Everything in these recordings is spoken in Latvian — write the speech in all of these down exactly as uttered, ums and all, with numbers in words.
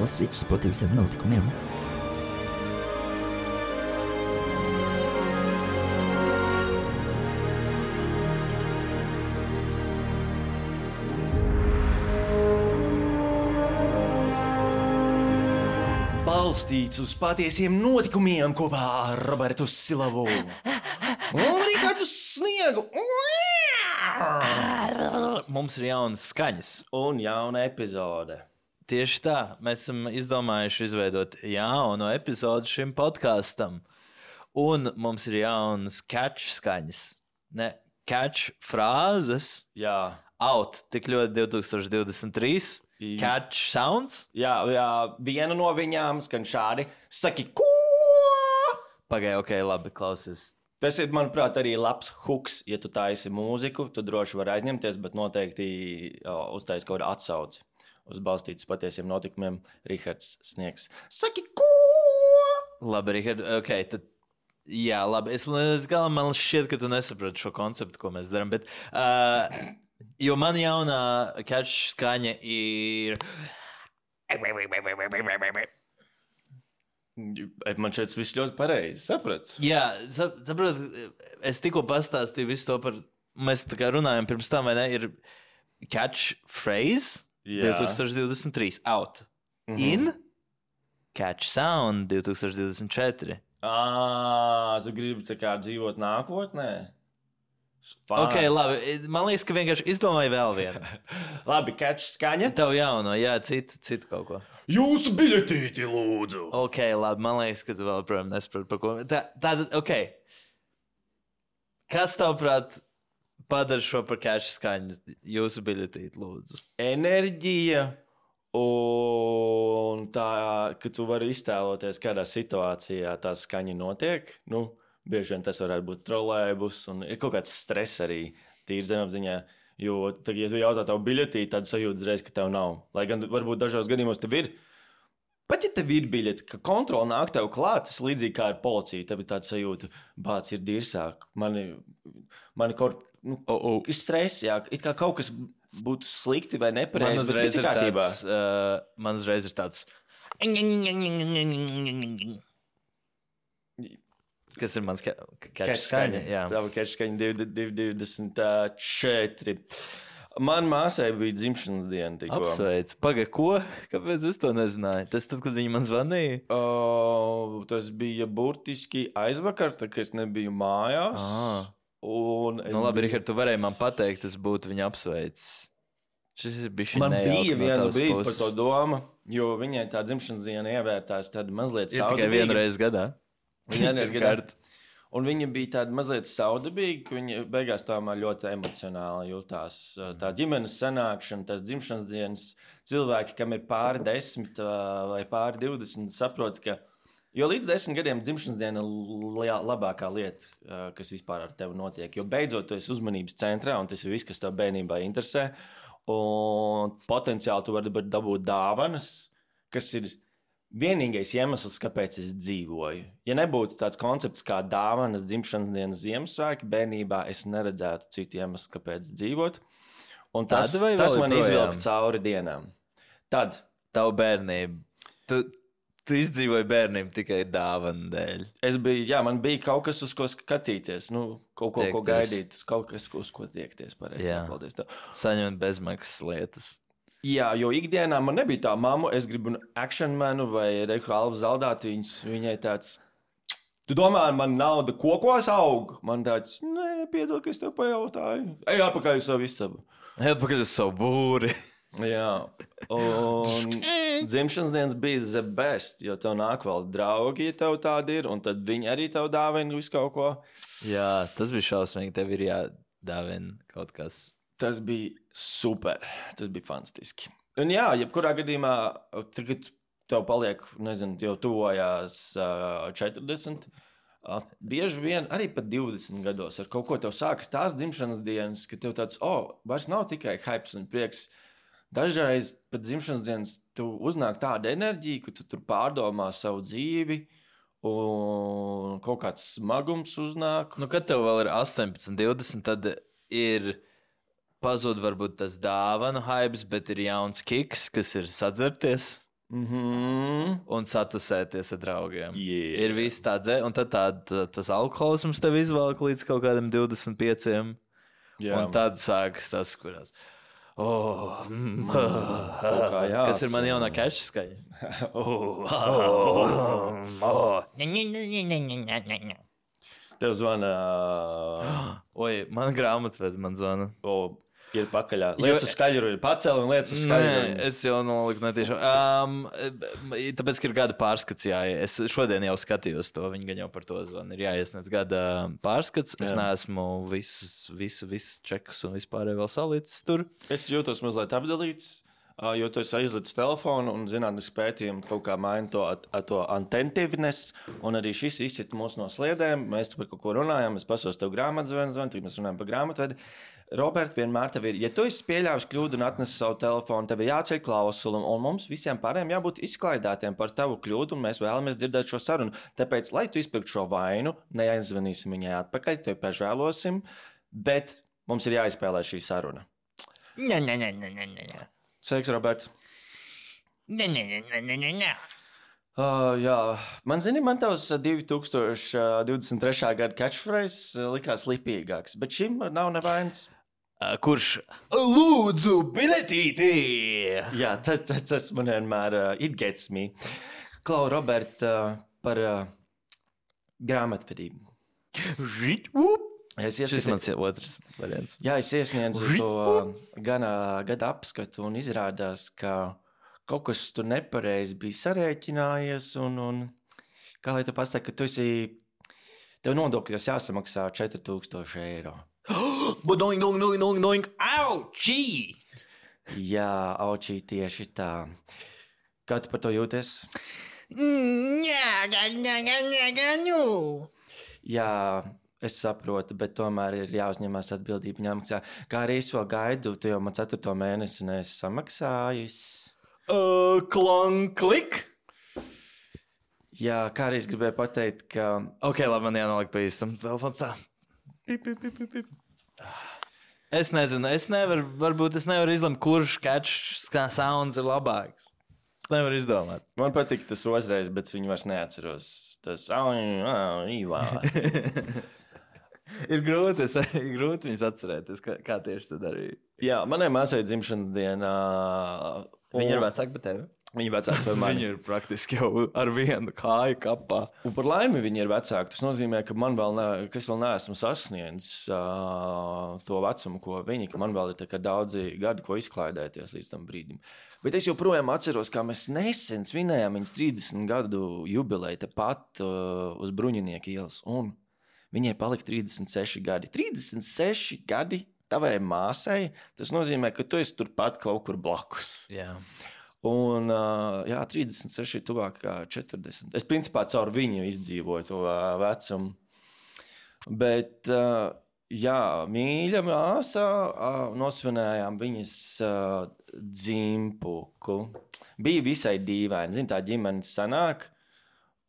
balstīts uz patiesiem notikumiem. Balstīts uz patiesiem notikumiem kopā ar Robertu Silavu un Rihardu Sniegu. Mums ir jaunas skaņas. Un jauna epizode. Tieši tā, mēs esam izdomājuši izveidot jaunu epizodu šim podkastam. Un mums ir jaunas catch skaņas. Ne, catch frāzes. Jā. Out, tik ļoti divtūkstoš divdesmit trīs. Catch sounds? Jā, jā, viena no viņām skan šādi. Saki, ko? Pagaid, ok, labi, klausies. Tas ir, manuprāt, arī labs hooks. Ja tu taisi mūziku, tu droši vari aizņemties, bet noteikti uztais kaut kādu atsauci. Uz balstītas patiesiem notikumiem Rihards Sniegs. Saki, ko? Labi, Rihard, ok, tad, jā, labi. Es līdz galam man šķiet, ka tu nesaprati šo konceptu, ko mēs darām, bet, uh, jo man jaunā catch skaņa ir... Man šeit viss ļoti pareizi, saprat? Jā, saprot, es tikko pastāstīju visu to par, mēs tā kā runājam pirms tam, vai ne, ir catch phrase divtūkstoš divdesmit trīs, out, mm-hmm. In, catch sound divtūkstoš divdesmit četri. Ā, tu gribi tā kā dzīvot nākotnē? Fine. Ok, labi, man liekas, ka vienkārši izdomāju vēl vienu. Labi, catch skaņa. Tev jauno, jā, citu, citu kaut ko. Jūsu biļetīti, lūdzu. Ok, labi, man liekas, ka tu vēl, protams, nesaprati par ko. Tā, tātad, ok. Kas tavuprāt padara šo par catch skaņu? Jūsu biļetīti, lūdzu. Enerģija un tā, ka tu vari iztēloties, kādā situācijā tā skaņa notiek. Nu, bieži vien tas varētu būt trolejbus un ir kaut kāds stress arī tīri zemapziņā. Jo, tad, ja tu jautā tavu biļetī, tad sajūta uzreiz, ka tev nav. Lai gan varbūt dažos gadījumos tev ir. Pat ja tev ir biļeti, ka kontrola nāk tev klāt, tas līdzīgi kā ar policiju. Tev ir tāda sajūta, bāc ir dirsāk. Mani, mani kaut nu, oh, oh. ir stress, jā. It kā kaut kas būtu slikti vai nepareizi, bet viss ir kārtībā. Tāds, uh, man uzreiz ir tāds... Kas ir mans catch skaņa? Jā. Tā var catch skaņa divi divdesmit četri. Man māsai bija dzimšanas diena tikko. Apsveic. Paga, ko? Kāpēc es to nezināju? Tas tad, kad viņa man zvanīja? Uh, tas bija burtiski aizvakar, tā, ka es nebiju mājās. Ah. Un nu labi, biju... Rihard, tu varēji man pateikt, tas būtu viņa apsveic. Šis ir bišķi man bija no viena brīdi puses. par to doma, jo viņai tā dzimšanas diena ievērtās tāda mazliet ir saudabīga. Ir tikai vienreiz gadā. Viņa vienreiz gadā. Un viņa bija tāda mazliet saudabīga, ka viņa beigās tomēr ļoti emocionāli jutās. Tā ģimenes sanākšana, tās dzimšanas dienas cilvēki, kam ir pāri desmit vai pāri divdesmit, saprot, ka jo līdz desmit gadiem dzimšanas diena ir labākā lieta, kas vispār ar tevi notiek. Jo beidzot tu esi uzmanības centrā un tas ir viss, kas tev bērnībā interesē. Un potenciāli tu vari dabūt dāvanas, kas ir vienīgais iemesls, kāpēc es dzīvoju. Ja nebūtu tāds koncepts kā dāvanas, dzimšanas dienas, Ziemassvētki, bērnībā es neredzētu citu iemeslu, kāpēc dzīvot. Un tas, tas man izvilka cauri dienām. Tad. Tavu bērnību. Tu, tu izdzīvoji bērnību tikai dāvanu dēļ. Es biju, jā, man bija kaut kas, uz ko skatīties. Nu, kaut ko, tiekties. Ko gaidīt. Kaut kas, uz ko tiekties. Pareizi, jā. Paldies tev. Saņemt bezmaksas lietas. Jā, jo ikdienā man nebija tā mamma, es gribu actionmanu vai Reiku Alvu Zaldātiņus, viņai tāds, tu domā, man nauda kokos aug? Man tāds, nē, piedod, ka es tev pajautāju. Ej atpakaļ uz savu istabu. Ej atpakaļ uz savu būri. Jā, un dzimšanas dienas bija the best, jo tev nāk vēl draugi, ja tev tādi ir, un tad viņi arī tev dāvina visu kaut ko. Jā, tas bija šausmīgi, tev ir jādāvina kaut kas. Tas bija super, tas bija fantastiski. Un jā, jebkurā gadījumā, tagad tev paliek, nezinu, jau tuvojās uh, četrdesmit, uh, bieži vien arī pat divdesmit gados ar kaut ko tev sākas tās dzimšanas dienas, ka tev tāds, o, oh, vairs nav tikai hypes un prieks. Dažreiz pat dzimšanas dienas tu uznāk tāda enerģija, ka tu tur pārdomā savu dzīvi un kaut kāds smagums uznāk. Nu, kad tev vēl ir astoņpadsmit, divdesmit, tad ir... Pazūd varbūt tas dāvanu hypes, bet ir jauns kiks, kas ir sadzerties. Mm-hmm. Un satusēties ar draugiem. Yeah. Ir viss tā dzē, un tad tā, tā, tas alkoholisms tev izvelk līdz kaut kādam divdesmit pieciem. Jā. Un tad sākas tas, kurās. Oh, mm, kā jās. kas ir man jaunā keša skaņa? oh. Oh, oh. Tev zvana. Oi, man grāmatvedi man zvana. Oh. Ir pakaļā. Lietas uz skaļru ir pacēla un lietas uz skaļru. Nē, es jau noliku netiešām. Um, tāpēc, ka ir gada pārskats, jā. Es šodien jau skatījos to, viņi gan jau par to zvanu. Ir jāiesniedz gada pārskats. Es jā. neesmu visus, visu, visus čekus un vispārēj vēl salicis tur. Es jūtos mazliet apdalīts, jo tu esi aizlicis telefonu un zinātniski pētījumi kaut kā maina to, to attentiveness. Un arī šis izsit mūs no sliedēm. Mēs par kaut ko runājam, es pasos tev grāmatzvanu, zvanu, tad mēs runājam par grāmatvedi. Robert, vienmēr tev ir, ja tu esi pieļāvis kļūdu un atnesi savu telefonu, tev ir jāceļ klausuli, un mums visiem pārējiem jābūt izklaidētiem par tavu kļūdu, un mēs vēlamies dzirdēt šo sarunu. Tāpēc, lai tu izpirktu šo vainu, neaizvanīsim viņai atpakaļ, tevi pažēlosim, bet mums ir jāizspēlē šī saruna. Nē, nē, nē, nē, nē, nē. Sveiks, Robert. Nē, nē, nē, nē, nē, nē. Uh, jā, man zini, man tavs divi tūkstoši divdesmit trešā gada catchphrase likās lipīgāks, bet šim nav nevainas. Uh, kurš lūdzu biletīti? Jā, tas, tas, tas man vienmēr uh, it gets me. Klau, Robert, uh, par uh, grāmatvedību. Es ieskati... Šis mans otrs variants. Jā, es iesniedzu to uh, gana, gada apskatu un izrādās, ka kaut kas tur nepareizi bija sarēķinājies, un, un kā lai tu pasaki, ka tu esi, tev nodokļos jāsamaksā četri tūkstoši eiro. Doing, doing, doing, doing, doing, aučī! Jā, aučī tieši tā. Kā tu par to jūties? Ņāga, ņāga, ņāga, ņū! Jā, es saprotu, bet tomēr ir jāuzņemās atbildība jāmaksā. Kā arī es vēl gaidu, tu jau man ceturto mēnesi neesi samaksājis. Uh, Klonklik? Jā, kā arī es gribēju pateikt, ka... Ok, labi, man jānoliek pa īstam. Telefons tā. Pip, pip, pip, pip, pip. Es nezinu, es nevaru, varbūt es nevaru izlemt, kurš catch sounds ir labāks. Es nevaru izdomāt. Man patīk tas otrais, bet viņu vairs neatceros. Tas... ir grūti, es, ir grūti viņus atcerēties, kā, kā tieši tu darīji. Jā, manai māsai dzimšanas dienā... Viņa ir vecāka par tevi? Viņa vecāka par mani. Viņa ir praktiski jau ar vienu kāju kapā. Un par laimi viņa ir vecāka. Tas nozīmē, ka man vēl, ne, ka es vēl neesmu sasniedzis uh, to vecumu, ko viņa, ka man vēl ir tā kā daudzi gadi, ko izklaidēties līdz tam brīdim. Bet es joprojām atceros, kā mēs nesen svinējām viņas trīsdesmit gadu jubileju tepat uh, uz Bruņinieka ielas. Un viņai palika trīsdesmit seši gadi. trīsdesmit seši gadi tavai māsai, tas nozīmē, ka tu esi turpat kaut kur blakus. Jā. Un, uh, jā, trīsdesmit seši ir tuvāk kā četrdesmit. Es principā caur viņu izdzīvoju to uh, vecumu. Bet, uh, jā, mīļa māsā, uh, nosvinējām viņas uh, dzimpuku. Bija visai dīvaini. Zin, tā ģimenes sanāk,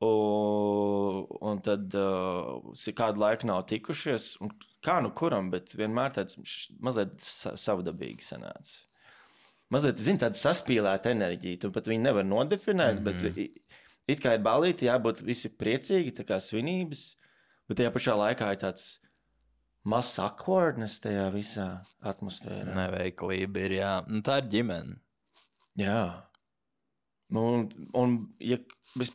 un, un tad uh, kādu laiku nav tikušies. Un, kā nu kuram, bet vienmēr tāds mazliet savdabīgi sanāca. Mazliet, zini, tāda saspīlēta enerģija. Tu pat viņu nevar nodefinēt, mm-hmm. bet it kā ir balīti, jābūt visi priecīgi, tā kā svinības, bet tajā pašā laikā ir tāds mazs awkwardness tajā visā atmosfērā. Neveiklība ir, jā. Nu, tā ir ģimene. Jā. Un, un ja,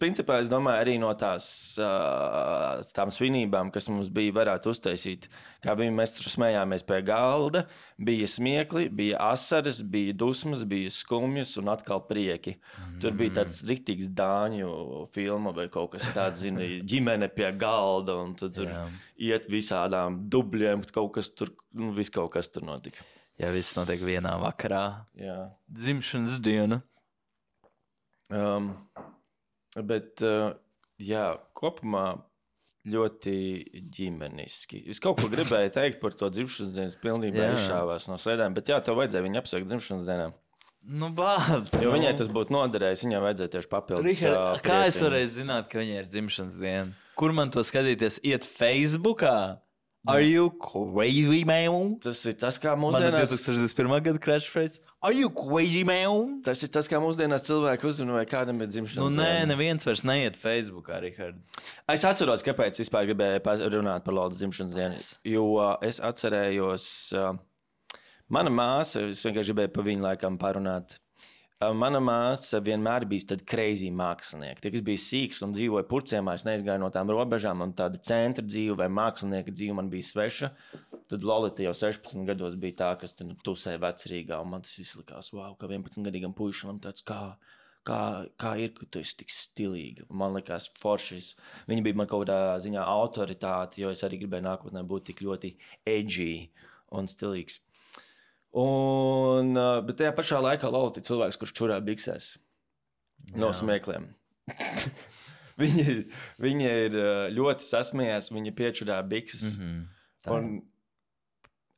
principā, es domāju, arī no tās uh, tām svinībām, kas mums bija, varētu uztaisīt, kā viņi mēs tur smējāmies pie galda, bija smiekli, bija asaras, bija dusmas, bija skumjas un atkal prieki. Mm. Tur bija tāds riktīgs dāņu filma vai kaut kas tāds, zini, ģimene pie galda, un tad tur yeah. iet visādām dubļiem, kaut kas tur, nu, viss kaut kas tur notika. Jā, viss notiek vienā vakarā. Jā. Dzimšanas diena. Um, bet, uh, jā, kopumā ļoti ģimeniski. Es kaut ko gribēju teikt par to dzimšanas dienu, pilnībā izšāvās no sēdēm, bet jā, tev vajadzēja viņu apsveikt dzimšanas dienā. Nu, bāc! Jo nu. Viņai tas būtu noderējis, viņai vajadzēja tieši papildus. Richard, uh, kā es varēju zināt, ka viņai ir dzimšanas diena? Kur man to skatīties? Iet Facebookā? Are you crazy, man? Tas ir tas, kā Man ir mūsdienās... divtūkstoš divdesmit pirmā gada catchphrase. Are you crazy, man? Tas ir tas, kā mūsdienās cilvēki uzrunā, vai kādam ir dzimšanas Nu, nē, diena. neviens vairs neiet Facebookā, Richard. Es atceros, kāpēc vispār gribēju pas- runāt par Lolas dzimšanas dienu. Jo uh, es atcerējos, uh, mana māsa, es vienkārši gribēju pa viņu laikam parunāt. Uh, mana māsa vienmēr bija tāda crazy mākslinieka. Tie, kas bija sīks un dzīvoja purciemā, es neizgāju no tām robežām, un tāda centra dzīve vai mākslinieka dzīve man bija sveša. Tad Lolita jau sešpadsmit gados bija tā, kas tur tusēja vecrīgā, un man tas viss likās, wow, kā vienpadsmitgadīgam puišam, tāds kā, kā, kā ir, ka tu esi tik stilīga. Man likās foršis. Viņa bija man kaut kādā ziņā autoritāte, jo es arī gribēju nākotnē būt tik ļoti edgy un stilīgs. Un, bet tajā pašā laikā Lolita ir cilvēks, kurš čurā biksēs no smiekliem. viņa, ir, viņa ir ļoti sasmējās, viņa piečurā bikses. Mhm. Un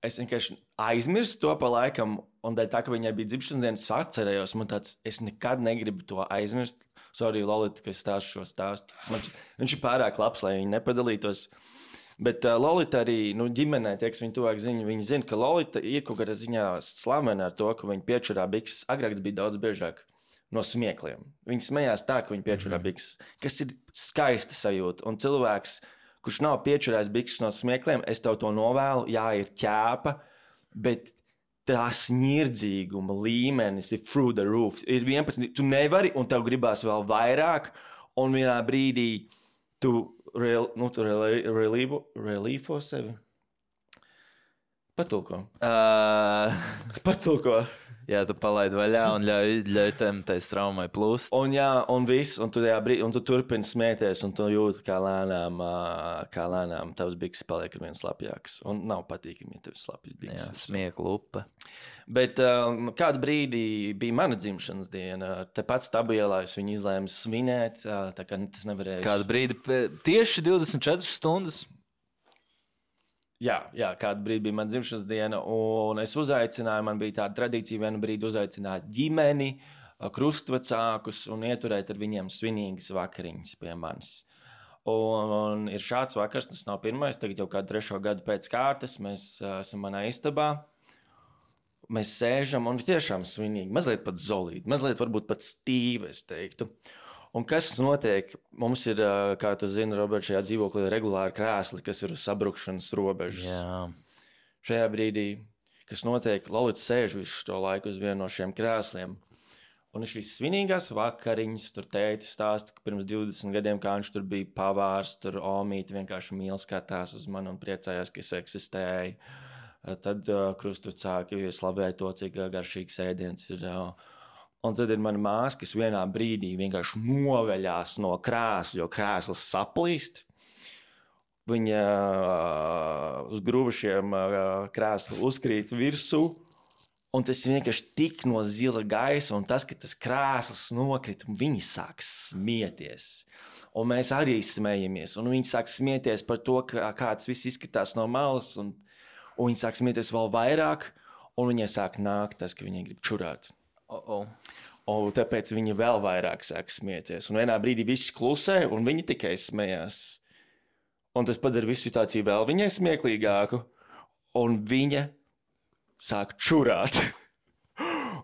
es vienkārši aizmirsu to pa laikam, un dēļ tā, ka viņai bija dzimšanas dienas, es atcerējos, man tāds, es nekad negribu to aizmirst. Sorry, Lolita, ka es stāstu šo stāstu. Man, viņš ir pārāk labs, lai viņi nepadalītos. Bet uh, Lolita arī, nu, ģimenē, tie, kas viņu tuvāk zina, viņi zina, ka Lolita ir kaut kādā ziņā slavena ar to, ka viņa piečurā bikses. Agrāk tas bija daudz biežāk no smiekliem. Viņi smējās tā, ka viņa piečurā bikses, kas ir skaista sajūta. Un cilvēks, kurš nav piečurājis bikses no smiekliem, es tev to novēlu, jā, ir ķēpa, bet tās nirdzīguma līmenis ir through the roof. Ir vienpadsmit, tu nevari, un tev gribās vēl vairāk, un vienā brīdī tu, real, nu, tu relīfo, relīfo sevi. Patulko. Uh, Patulko. jā, tu palaidi vaļā un ļauj, ļauj tam tai straumai plūst. Un jā, un viss, un tu, brīd, un tu turpini smieties, un tu jūti, kā lēnām, kā lēnām tavs bikses paliek ar vien slapjāks. Un nav patīkami, ja tev slapjas bikses. Jā, smieklu upe. Bet um, kādu brīdi bija mana dzimšanas diena. Tepat Stabielā es viņu izlēmu svinēt, tā kā tas nevarēja. Kādu brīdi, tieši divdesmit četras stundas? Jā, jā, kādu brīdi bija mana dzimšanas diena, un es uzaicināju, man bija tāda tradīcija vienu brīdi uzaicināt ģimeni, krustvecākus un ieturēt ar viņiem svinīgas vakariņas pie manis. Un, un ir šāds vakars, tas nav pirmais, tagad jau kādu trešo gadu pēc kārtas, mēs uh, esam manā istabā, mēs sēžam un tiešām svinīgi, mazliet pat zolīti, mazliet varbūt pat stīvi, es teiktu. Un kas notiek? Mums ir, kā tu zini, Robert, šajā dzīvoklī regulāri krēsli, kas ir uz sabrukšanas robežas. Jā. Šajā brīdī, kas notiek, Lolita sēž visu šo laiku uz vienu no šiem krēsliem. Un ir šīs svinīgās vakariņas, tur tēti stāsta, ka pirms divdesmit gadiem, kā viņš tur bija pavārs, tur omīti vienkārši mīl skatās uz mani un priecājās, ka es eksistēju. Tad uh, krustvecāki slavēja to, cik garšīgs ēdiens ir. Uh, Un tad ir mana māsa, kas vienā brīdī vienkārši noveļās no krēsla, jo krēsls saplīst. Viņa uh, uz grūbušiem uh, krēslu uzkrīt virsū, un tas vienkārši tik no zila gaisa, un tas, ka tas krēsls nokrita, un viņi sāk smieties. Un mēs arī smējamies, un viņi sāk smieties par to, kā, kā tas viss izskatās no malas, un, un viņi sāk smieties vēl vairāk, un viņai sāk nākt tas, ka viņi grib čurāt. Oh, oh. Un tāpēc viņi vēl vairāk sāk smieties. Un vienā brīdī viss klusē, un viņi tikai smējās. Un tas padara visu situāciju vēl viņai smieklīgāku. Un viņa sāk čurāt.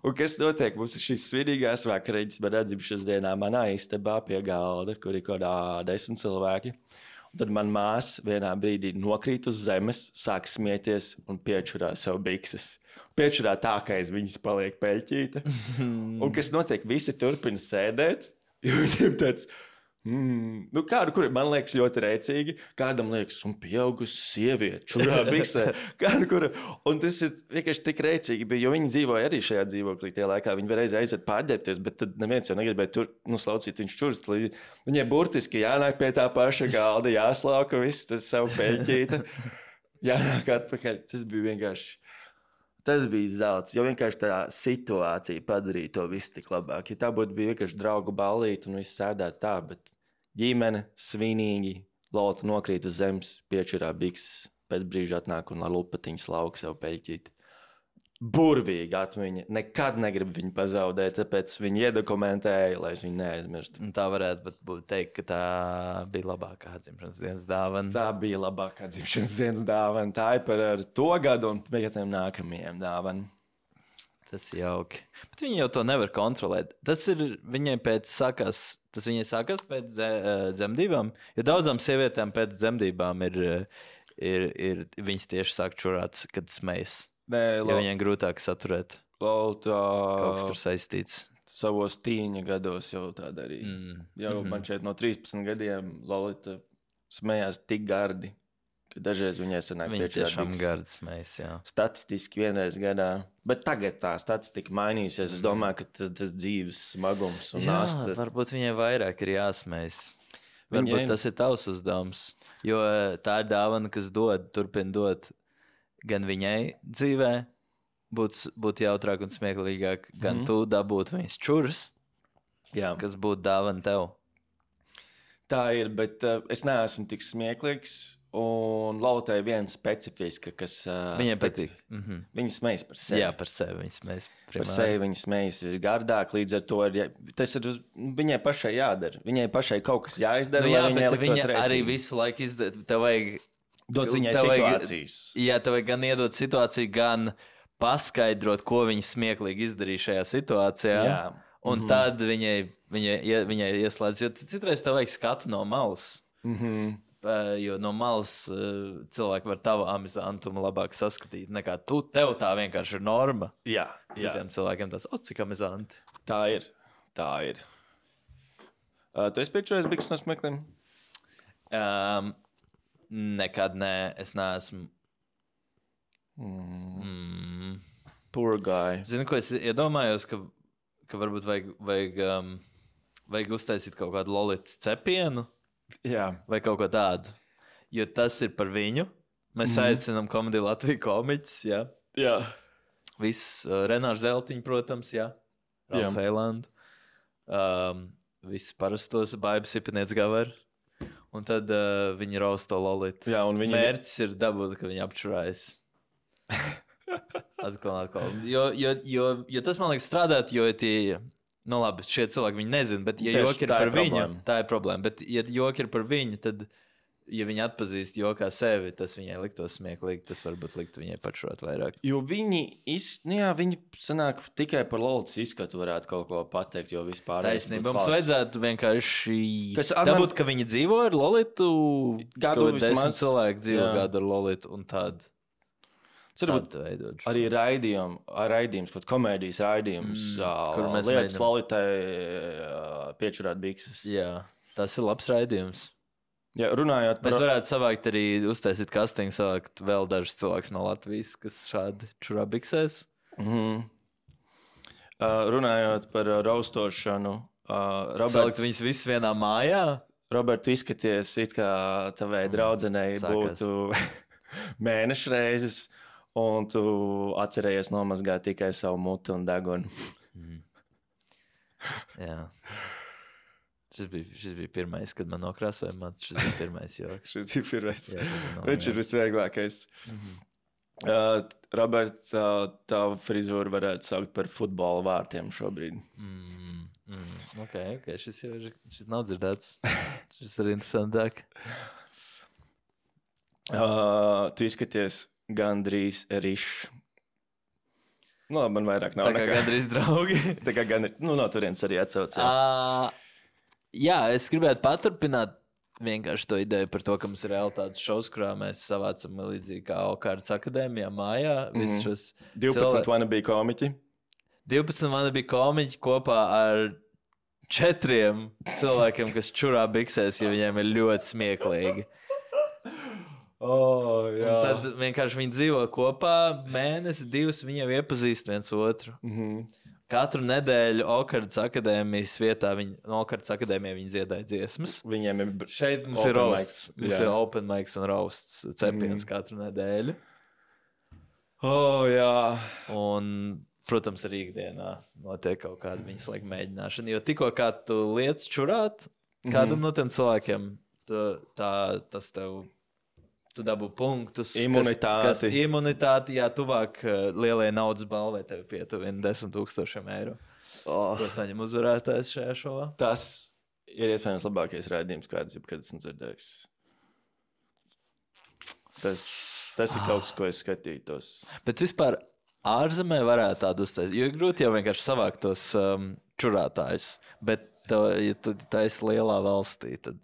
Un kas notiek? Mums ir šīs svinīgās vakariņas manā dzimšanas dienā manā istabā pie galda, kur ir kaut kādā desmit cilvēki. Un tad man māsa vienā brīdī nokrīt uz zemes, sāk smieties un piečurā sev bikses. Piečurā tā, ka aiz viņas paliek peļķīta. Un kas notiek? Visi turpina sēdēt, jo viņiem tāds, mm, nu kādu, kuri man liekas ļoti rēcīgi, kādam liekas, un pieaugusi sieviete, čurā biksē, kādu, kura, un tas ir vienkārši tik rēcīgi, jo viņi dzīvoja arī šajā dzīvoklī tie laikā, viņi var reiz aiziet pārģērbties, bet tad neviens jau negribēja tur, nu, slaucīt viņš čurst, viņai burtiski jānāk pie tā paša galda, jāslauka viss, tas savu peļķīta, jānāk atpakaļ, tas bija vienkārši. Tas bija zelts, jo vienkārši tā situācija padarīja to visu tik labāk. Ja tā būtu bija vienkārši draugu ballīte un viss sēdētu tā, bet ģimene svinīgi, Lolita nokrīt uz zemes, piečurā bikses, pēc brīža atnāk un ar lupatiņas lauka sev peļķīt. Burvīga atmiņa, nekad negribu viņu pazaudēt, tāpēc viņu iedokumentēju, lai es viņu neaizmirstu. Tā varētu būt teikt, ka tā bija labākā dzimšanas dienas dāvana. Tā bija labākā dzimšanas dienas dāvana. Tā ir par to gadu un pieciem nākamajiem dāvana. Tas ir jauki. Bet viņi jau to nevar kontrolēt. Tas ir viņai pēc sākās, tas viņai sākās pēc ze, dzemdībām. Jo daudzām sievietēm pēc dzemdībām ir, ir, ir viņas tieši sāk čurāt, kad smejas. Nē, jo lo... viņiem grūtāk saturēt. Lolita... Kaut kas tur saistīts. Savos tīņa gados jau tā darīja. Mm. Jau mm-hmm. man šeit no trīspadsmit gadiem Lolita smējās tik gardi. Dažreiz viņai sanāk viņa tiešām gardas mēs, jā. Statistiski vienreiz gadā. Bet tagad tā statistika mainīsies. Es domāju, ka tas, tas dzīves smagums un nasta. Jā, varbūt viņai vairāk ir jāsmējas. Varbūt viņai... tas ir tavs uzdevums. Jo tā ir dāvana, kas dod, turpina dot gan viņai dzīvē, būt, būt jautrāk un smieklīgāk, gan mm-hmm. tu dabūt viņas čuras, jā. Kas būtu dāvana tev. Tā ir, bet uh, es neesmu tik smieklīgs. Un Lolitai viena specifiska, kas uh, viņai patīk. Mm-hmm. Viņa smejas par sevi. Jā, par sevi viņa smejas. Primāri. Par sevi viņa smejas ir gardāk, līdz ar to ir, tas ir viņai pašai jādara. Viņai pašai kaut kas jāizdara, nu, jā, lai viņai liktos rēcīgi. Arī visu laiku izdara, tev vajag... Dot viņai situācijas. Vajag, jā, tev vajag gan iedot situāciju, gan paskaidrot, ko viņa smieklīgi izdarīja šajā situācijā. Jā. Un mm-hmm. tad viņai, viņai, viņai ieslēdz, jo citreiz tev vajag skatu no malas. Mhm. Jo no malas uh, cilvēki var tavu amizantumu labāk saskatīt nekā tu. Tev tā vienkārši ir norma. Jā, jā. Citiem cilvēkiem tas, o, cik amizanti. Tā ir, tā ir. Uh, tu esi piečurējis bikses no smiekliem? Um, nekad nē, es neesmu. Mm. Mm. Poor guy. Zini, ko es iedomājos, ka, ka varbūt vajag, vajag, um, vajag uztaisīt kaut kādu Lolitas cepienu. Jā. Vai kaut ko tādu. Jo tas ir par viņu. Mēs mm. aicinām komēdiju Latviju komiķus. Jā. Jā. Viss uh, Renārs Zeltiņš, protams, jā. Ralf Eilandu. Um, Viss parastos baibas Ipiniec Gavar. Un tad uh, viņi rausta Lolitu. Jā, un viņa... Mērķis ir dabūt, ka viņi apčurājas. atkal, atkal. Jo, jo, jo, jo tas, man liekas, strādāt, jo tie... Nu labi, šie cilvēki viņi nezina, bet ja joki ir par viņu, tā ir problēma. Bet ja joki ir par viņu, tad, ja viņi atpazīst jokā sevi, tas viņai liktos smieklīgi, tas varbūt liktu viņai pačurāt vairāk. Jo viņi, iz, nu jā, viņi sanāk tikai par Lolitas izskatu varētu kaut ko pateikt, jo vispār... Taisnība, mums vajadzētu vienkārši Kas, dabūt, ka viņi dzīvo ar Lolitu, gadu ka desmit cilvēki dzīvo jā. Gadu ar Lolitu un tādu. Arī raidījums, raidījums, kaut kāds komēdijas raidījums, mm, kur mēs lietas mēģinām... Lolitai piečurāt bikses. Jā, tas ir labs raidījums. Jā, runājot par... Mēs varētu savākt arī uztaisīt castingu, savākt vēl dažus cilvēkus no Latvijas, kas šādi čurā biksēs. Mm-hmm. Uh, runājot par uh, raustošanu. Uh, Robert... Salikt viņus visus vienā mājā? Robert, tu izskaties, it kā tavai draudzenei mm, būtu mēnešu reizes. Un tu atcerējies nomazgāt tikai savu muti un degunu. Mm. Jā. Šis bija, šis bija pirmais, kad man nokrāsoja matu. Šis bija pirmais joks. šis bija pirmais. Jā, viņš ir visvieglākais. Mm-hmm. Uh, Robert, uh, tavu frizūru varētu saukt par futbola vārtiem šobrīd. Mm, mm. Ok, ok. Šis jau ir, šis nav dzirdēts. Šis ir interesantāk. Uh, tu izskaties... Gandrīz rišs. Nu, labi, man vairāk nav. Tā kā nekā. Gandrīz draugi. Tā kā gandrīz, nu, no turienes arī atsaucās. Uh, jā, es gribētu paturpināt vienkārši to ideju par to, ka mums ir realitātes šovs, kurā mēs savācam līdzīgi kā Okārtas akadēmijā mājā. Mm. Šos divpadsmit cilvē... wannabe komiķi. divpadsmit wannabe komiķi kopā ar četriem cilvēkiem, kas čurā biksēs, jo viņiem ir ļoti smieklīgi. Oh, jā. Un tad vienkārši viņi dzīvo kopā mēnesi, divus, viņi jau iepazīst viens otru. Mm-hmm. Katru nedēļu Okārtas akadēmijas vietā, viņi, no Okārtas akadēmijā viņi dziedāja dziesmas. Viņiem ir šeit mums ir roasts, mums jā. Ir open mics un roasts cepiens mm. katru nedēļu. Oh, jā. Un, protams, arī ikdienā notiek kaut kāda viņas laika mēģināšana, jo tikko kā tu lietas čurāt, kādam mm-hmm. no tiem cilvēkiem, tu, tā, tas tev... Tu dabū punktus. Imunitāti. Kas, kas imunitāti, jā, tuvāk uh, lielajai naudas balvai tev pietuvina desmit tūkstošiem eiro. Oh. Ko saņem uzvarētājs šajā šovā? Tas ir iespējams labākais raidījums, kāds jebkad esmu dzirdējis. Tas, tas ir kaut kas, ko es skatītos. Bet vispār ārzemē varētu tādu uztaisīt. Jo ir grūti jau vienkārši savākt tos um, čurātājus. Bet, to, ja tu taisi lielā valstī, tad,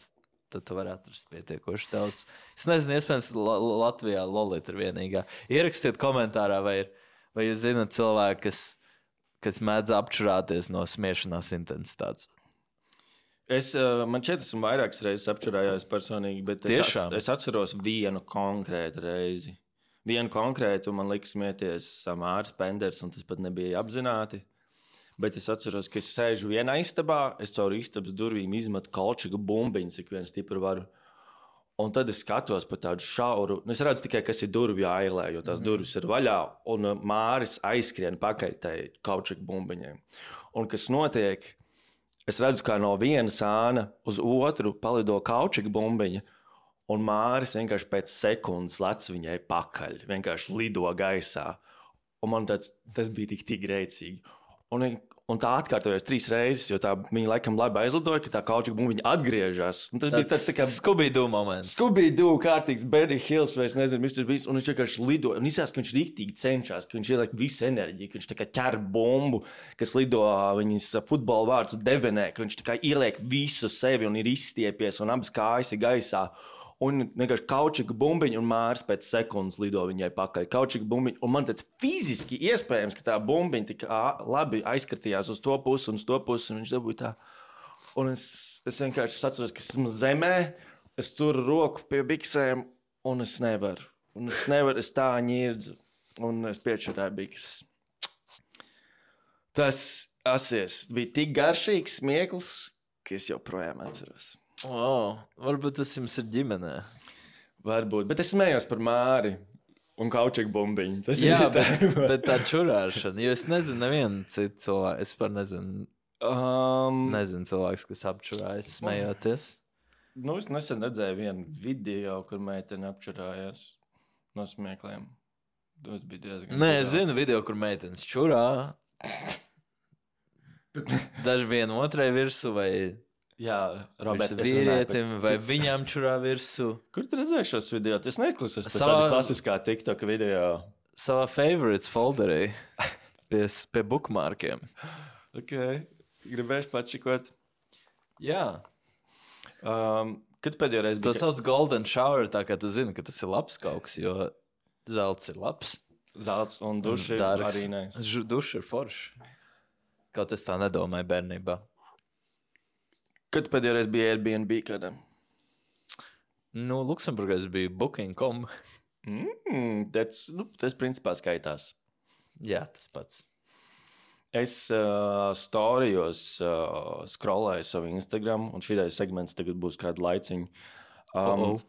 tad tu vari atrast pietiekoši daudz. Es nezinu, iespējams, La- Latvijā Lolita ir vienīgā. Ierakstiet komentārā, vai, ir, vai jūs zināt cilvēku, kas, kas mēdz apčurāties no smiešanās intensitātes. Es, uh, man šķiet, esmu vairākas reizes apčurājās personīgi, bet es, Tiešām? at, es atceros vienu konkrētu reizi. Vienu konkrētu man lika smieties Samārs Penders, un tas pat nebija apzināti. Bet es atceros, ka es sēžu vienā istabā, es caur istabas durvīm izmetu kolčiku bumbiņu, cik vien stipri varu. Un tad es skatos pa tādu šauru. Es redzu tikai, kas ir durvju ailē, jo tās mm. durvis ir vaļā, un Māris aizskrien pakaļ tai kolčiku bumbiņai. Un kas notiek? Es redzu, kā no vienas āna uz otru palido kaučiku bumbiņa, un Māris vienkārši pēc sekundes lec viņai pakaļ, vienkārši lido gaisā. Un man tāds, tas bija tik, tik greicīgi. Un, un tā atkārtojās trīs reizes, jo tā viņa laikam labi aizlidoja, ka tā kaučiku bumbiņa atgriežas. Un tas tāds bija tāds tā kā Scooby-Doo moments. Scooby-Doo kārtīgs Benny Hills, vai es nezinu, mister Beast, un viņš vienkārši lido. Un izsās, ka viņš riktīgi cenšas, ka viņš ieliek visu enerģiju, ka viņš tā kā ķer bumbu, kas lido viņas futbola vārds devenē, ka viņš tā kā ieliek visu sevi un ir izstiepies un abas kājas ir gaisā. Un vienkārši kaučika bumbiņa un Māris pēc sekundes lido viņai pakaļ. Kaučika bumbiņa, un man tāds fiziski iespējams, ka tā bumbiņa tik labi aizskatījās uz to pusi un uz to pusi, un viņš dabūja tā. Un es, es vienkārši atceros, ka esmu zemē, es turu roku pie biksēm, un es nevaru. Un es nevaru, es tā ņirdzu, un es piečurēju bikses. Tas asies bija tik garšīgs smieklis, ka es joprojām atceros. Oh, varbūt tas jums ir ģimenē. Varbūt, bet es smējos par Māri un kaučiku bumbiņu. Tas Jā, ir tā. bet, bet tā čurāšana, jo es nezinu nevienu citu cilvēku. Es par nezinu, Um, nezinu cilvēks, kas apčurājas, smejoties. nu, es nesen redzēju vienu video, kur meitene apčurājās no smiekliem. Tas bija diezgan Nē, es brutāls. zinu video, kur meitenes čurā. Daži vienu otrai virsū vai Jā, Roberts, virsū vīrietim, vai viņām čurā virsū. Kur tu redzēji šos video? Es neizklausos pēc Savā- tāda klasiskā TikTok video. Savā favorites folderī pie, pie bookmarkiem. Ok, gribēšu pačikot. Jā. Um, kad pēdējo reizi To bija sauc golden shower, tā kā tu zini, ka tas ir labs kaut kas, jo zelts ir labs. zelts un duši Dārgs. arī nais? Ž- Duši ir forši. Kaut es tā nedomāju bērnībā. Kad pēdējo reizi bija Airbnb kādam? Nu, Luksemburgā es biju booking dot com. Mm, tas, nu, tas principā skaitās. Jā, tas pats. Es uh, storijos uh, scrollēju savu Instagram, un šīs segments tagad būs kādu laiciņu. Um, Oh, oh.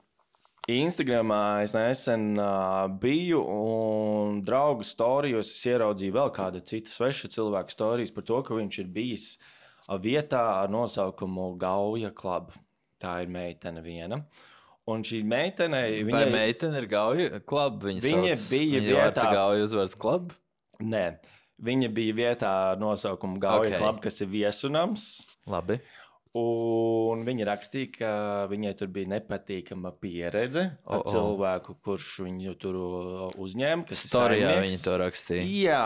Instagramā es nesen uh, biju, un draugu storijos es ieraudzīju vēl kādu citu svešu cilvēku storijas par to, ka viņš ir bijis uh, vietā ar nosaukumu Gauja Club. Tā ir meitene viena. Un šī meitene... Vai Viņai... meitene ir Gauja klub? Viņa, Viņa sauc, bija viņa vārds vietā- ir Gauja uzvārds klub? Nē, viņa bija vietā ar nosaukumu Gauja Ok. Club, kas ir viesunams. Labi. Un viņa rakstīja, ka viņai tur bija nepatīkama pieredze ar O, o. cilvēku, kurš viņu tur uzņēma. kas ir Storijā saimnieks. viņa to rakstīja. Jā,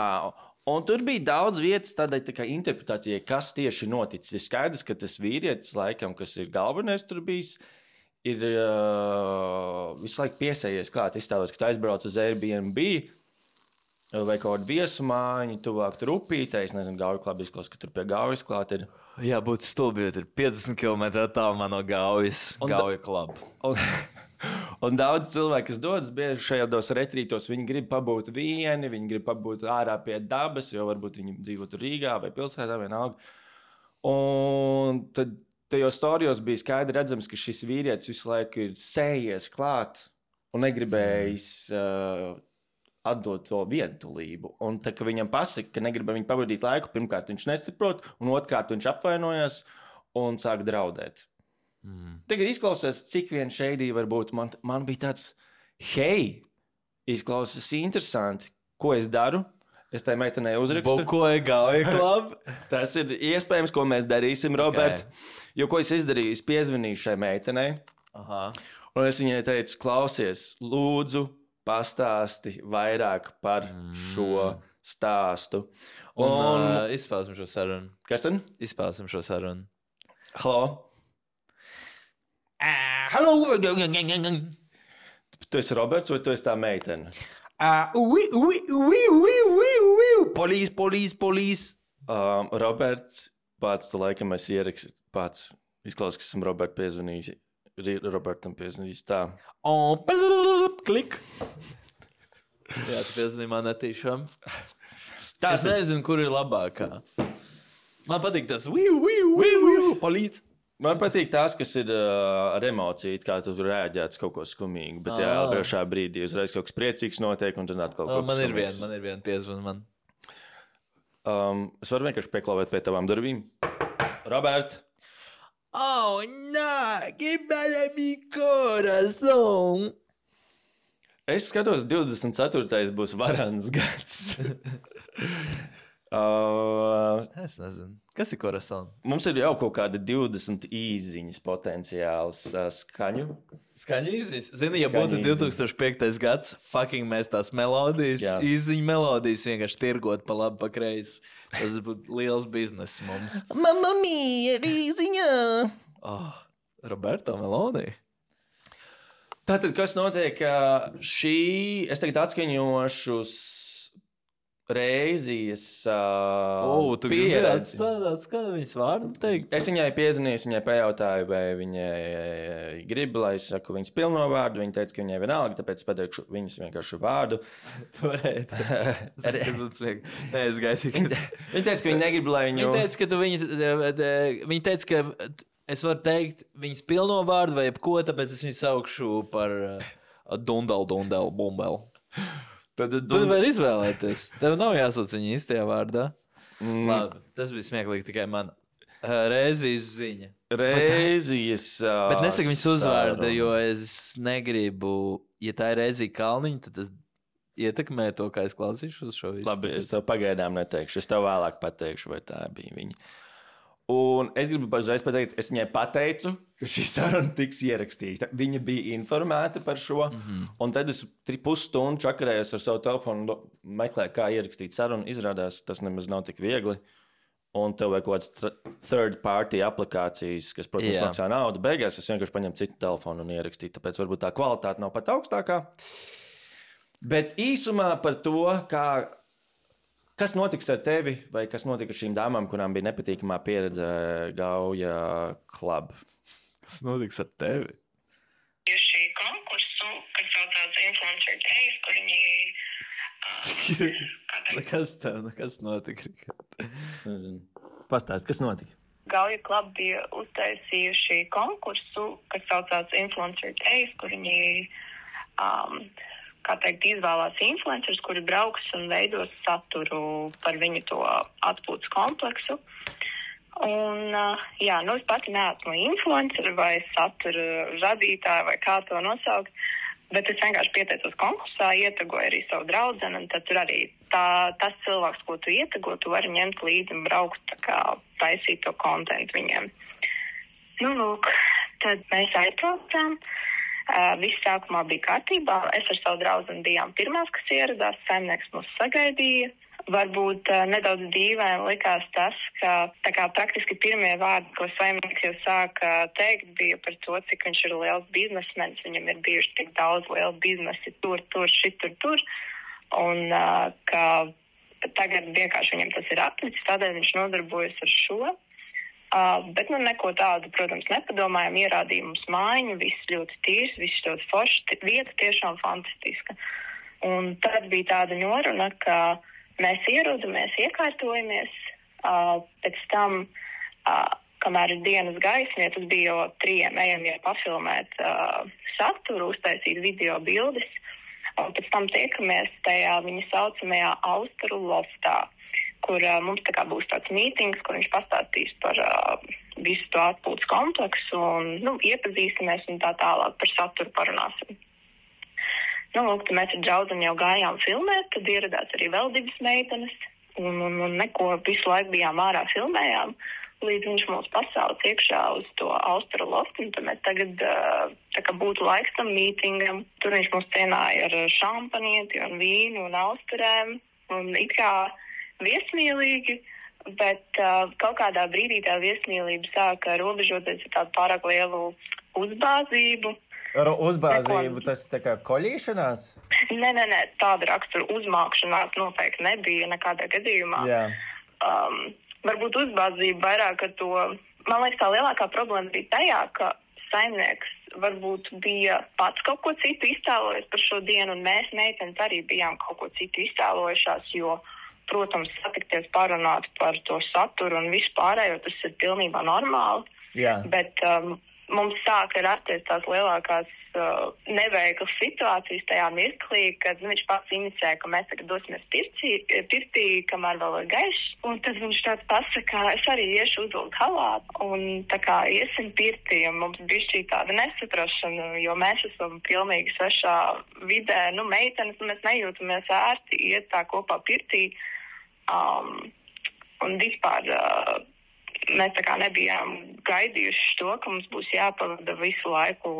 un tur bija daudz vietas tādai tā kā interpretācijai, kas tieši noticis. Ir skaidrs, ka tas vīrietis, laikam, kas ir galvenais tur bijis, ir uh, visu laiku piesējies klāt. Izstālos, ka tu aizbrauc uz Airbnb vai kaut kādu viesumāņu, tuvāk tur upītē. Es nezinu, Gauja Club izklausās, ka tur pie Gaujas klāt ir. Jā, būtu stulbi, jo ir piecdesmit kilometri attālumā no Gaujas. Un da- Gauja klub. Un, un daudz cilvēku, kas dodas bieži šajos retrītos, viņi grib pabūt vieni, viņi grib pabūt ārā pie dabas, jo varbūt viņi dzīvo tur Rīgā vai pilsētā vienalga. Un tad tajos storijos bija skaidri redzams, ka šis vīrietis visu laiku ir sējies klāt un negribējis uh, atdot to vientulību. Un tā, ka viņam pasaka, ka negrib ar viņu pavadīt laiku, pirmkārt viņš nesaprot, un otrkārt viņš apvainojas un sāk draudēt. Mm. Tagad izklausās, cik vien šeidī var būt. Man, man bija tāds, hei, izklausās interesanti, ko es daru. Es tai meitenei uzrakstu. Bukoja Gauja klub. Tas ir iespējams, ko mēs darīsim, Robert. Okay. Jo ko es izdarīju? Es piezvanīju šai meitenei. Aha. Un es viņai teicu, klausies, lūdzu, pastāsti vairāk par šo stāstu. Un, un uh, izspēlēsim šo sarunu. Kas tad? Izspēlēsim šo sarunu. Halo? Uh, hello! Tu esi Roberts vai tu esi tā meitene? Uh, oui, oui, oui, oui, oui, oui. Police, police, police. Um, Roberts, pats tu laikam esi ierakstījis, pats izklausās, ka esmu Roberts piezvanījis. Robertam piezvanījis tā. Oh, klik. Jā, tu piezvanīji man netīšām. Tā es nezinu, kur ir labākā. Man patīk tas viu, viu, viu, viu, palīdz. Man patīk tās, kas ir uh, ar emociju, kā tu rēģēts kaut ko skumīgu, bet jā, priekšā brīdī uzreiz kaut kas priecīgs notiek un tad atkal kaut kas man ir vien, man ir vien piezvan man. Um, es varu vienkārši pieklauvēt pie tavām durvīm. Robert! Oh, no, quebra mi corazón. Es skatos, divdesmit ceturtais būs varans gads. uh, es nezinu. Kas ir corazón? Mums ir jau kaut kāda divdesmit īziņas potenciāls uh, skaņu. Skaņu īziņas? Zini, ja būtu divtūkstoš piektais gads, fucking mēs tās melodijas, jā. Īziņu melodijas vienkārši tirgot pa labi, pa kreisi. Tas būtu liels biznes mums. Mamma mia, īziņā! Oh, Roberto melodija. Tātad, kas notiek šī, es tagad atskaņošu Reizijas uh, oh, pieredzi. Tāds, kā viņas vārdu teikt? Es viņai piezvanīju, viņai pajautāju, vai viņai grib, lai es saku viņas pilno vārdu. Viņa teica, ka viņai vienalga, tāpēc pateikšu viņas vienkārši vārdu. Tu varēji teikt. Tas būtu smiek. Nē, es gaidu. Ka... Viņa teica, ka viņa negrib, lai viņu... Viņa teica, ka tu viņa... Viņa teica, ka es varu teikt viņas pilno vārdu vai jebko, tāpēc es viņu saukšu par uh, Dundal, Dundal, Bumbel. Tad tu vari izvēlēties. Tev nav jāsauc viņa īstajā vārdā. Mm. Labi, tas bija smieklīgi tikai man. Uh, Reizijas ziņa. Reizijas. Uh, bet nesaka viņas uzvārdu, jo es negribu, ja tā ir Reizija Kalniņa, tad tas ietekmē to, kā es klausīšu uz šo visu. Labi, es tev pagaidām neteikšu. Es tev vēlāk pateikšu, vai tā bija viņa. Un es gribu uzreiz pateikt, es viņai pateicu, ka šī saruna tiks ierakstīta. Viņa bija informēta par šo, mm-hmm. un tad es pusstundu čakarējos ar savu telefonu, meklēju, kā ierakstīt sarunu. Izrādās, tas nemaz nav tik viegli. Un tev vajag kaut kāds third party aplikācijas, kas, protams, yeah. maksā naudu. Beigās es vienkārši paņemu citu telefonu un ierakstīju, tāpēc varbūt tā kvalitāte nav pat augstākā. Bet īsumā par to, kā... Kas notiks ar tevi, vai kas notika ar šīm dāmām, kurām bija nepatīkamā pieredze Gauja Club? Kas notiks ar tevi? Šī konkursu, kas saucās Influencer Days, kur viņi... Uh, kas tev, kas notika? Es nezinu. Pastāst, kas notika? Gauja Club bija uztaisījuši konkursu, kas saucās Influencer Days, kur viņi... Um, kā teikt, izvēlās influencerus, kuri brauks un veidos saturu par viņu to atpūtas kompleksu. Un, jā, nu es pati neesmu influenceri vai satura radītāja vai kā to nosaukt, bet es vienkārši pieteicos konkursā, ietegoju arī savu draudzeni, un tad tur arī tā, tas cilvēks, ko tu ietego, tu vari ņemt līdzi un braukt, tā kā taisīt to kontentu viņiem. Nu, lūk, tad mēs aizbraucām. Uh, viss sākumā bija kārtībā. Es ar savu draudzeni bijām pirmās, kas ieradās. Saimnieks mūs sagaidīja. Varbūt uh, nedaudz dīvaini likās tas, ka tā kā praktiski pirmie vārdi, ko saimnieks jau sāka teikt, bija par to, cik viņš ir liels biznesmenis. Viņam ir bijuši tik daudz lielu biznesi tur, tur, šitur, tur. Un uh, ka tagad vienkārši viņam tas ir atlicis, tādēļ viņš nodarbojas ar šo. Uh, bet nu neko tādu, protams, nepadomājam, ierādīja mums mājiņu, viss ļoti tīrs, viss ļoti forši, vieta tiešām fantastiska. Un tad bija tāda noruna, ka mēs ierodamies, iekārtojamies, uh, pēc tam, uh, kamēr ir dienas gaisma, ja tas bija jau trījiem ejam jau pafilmēt uh, saturu, uztaisīt video bildes, un pēc tam tiekamies tajā viņa saucamajā Austaru loftā, kur uh, mums tā kā būs tāds mītings, kur viņš pastāstīs par uh, visu to atpūtas kompleksu un, nu, iepazīstamies un tā tālāk par saturu parunāsim. Nu, lūk, tad mēs ar draudzeni jau gājām filmēt, tad ieradās arī vēl divas meitenes un, un, un neko visu laiku bijām ārā filmējām, līdz viņš mūs pasauc iekšā uz to Austaru loftu, un tad mēs tagad uh, tā kā būtu laiks tam mītingam. Tur viņš mūs cienāja ar šampanieti un vīnu un austurēm. un it kā viesmīlīgi, bet uh, kaut kādā brīdī tā viesmīlība sāka robežoties ar tādu pārāk lielu uzbāzību. Ar uzbāzību Neko... tas tā kā koļīšanās? Nē, nē, nē, tāda rakstura uzmākšanās noteikti nebija nekādā gadījumā. Jā. Um, varbūt uzbāzība vairāk ar to, man liekas, tā lielākā problēma bija tajā, ka saimnieks varbūt bija pats kaut ko citu iztēlojies par šo dienu, un mēs meitenes arī bijām kaut ko citu iztēlojušās, jo, protams, satikties parunāt par to saturu un visu pārējo, tas ir pilnībā normāli. Jā. Bet um, mums sāka rasties tās lielākās uh, neveiklas situācijas tajā mirklī, kad nu, viņš pats inicēja, ka mēs tagad dosimies pirtī, pirtī, kamēr vēl ir gaišs. Un tad viņš tāds pasaka, es arī iešu uzvilkt halātu un tā kā iesim pirtī. Un mums bija šī tāda nesaprašana, jo mēs esam pilnīgi svešā vidē. Nu, meitenes, nu, mēs nejūtamies ērti iet tā kopā pirtī. Um, un vispār... Uh, Mēs tā kā nebijām gaidījuši to, ka mums būs jāpavada visu laiku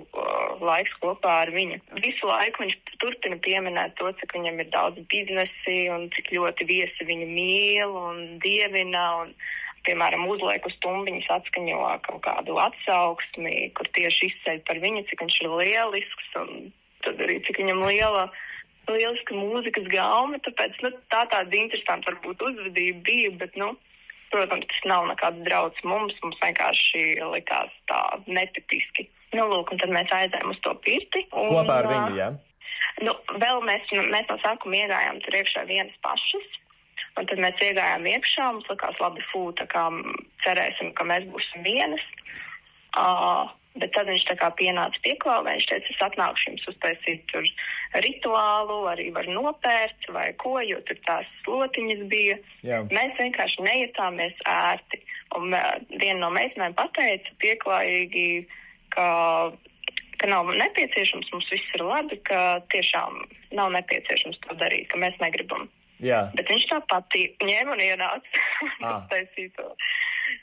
uh, laiks kopā ar viņu. Visu laiku viņš turpina pieminēt to, cik viņam ir daudz biznesi un cik ļoti viesi viņu mīl un dievina un, piemēram, uzliek uz tumbiņas atskaņo kaut kādu atsauksmi, kur tieši izceļ par viņu, cik viņš ir lielisks un tad arī cik viņam liela, lieliska mūzikas gaume. Tāpēc nu, tā tāda interesanta varbūt uzvedība bija, bet, nu, protams, tas nav nekāds drauds mums, mums vienkārši likās tā netipiski. Nu, lūk, un tad mēs aizējām uz to pirti. Un, kopā ar viņu, jā? Nu, vēl mēs, mēs no sākuma iegājām tur iekšā vienas pašas, un tad mēs iegājām iekšā, mums likās labi fū, tā kā cerēsim, ka mēs būsim vienas. Uh, bet tad viņš tā kā pienāca pieklāvē, viņš teica, es atnākšu jums uztaisīt tur rituālu, arī var nopērt vai ko, jo tur tās slotiņas bija. Jā. Mēs vienkārši nejutāmies ērti. Un uh, viena no meitenēm pateica pieklājīgi, ka, ka nav nepieciešams, mums viss ir labi, ka tiešām nav nepieciešams to darīt, ka mēs negribam. Jā. Bet viņš tā pati ņēma un ienāca un uztaisīja to.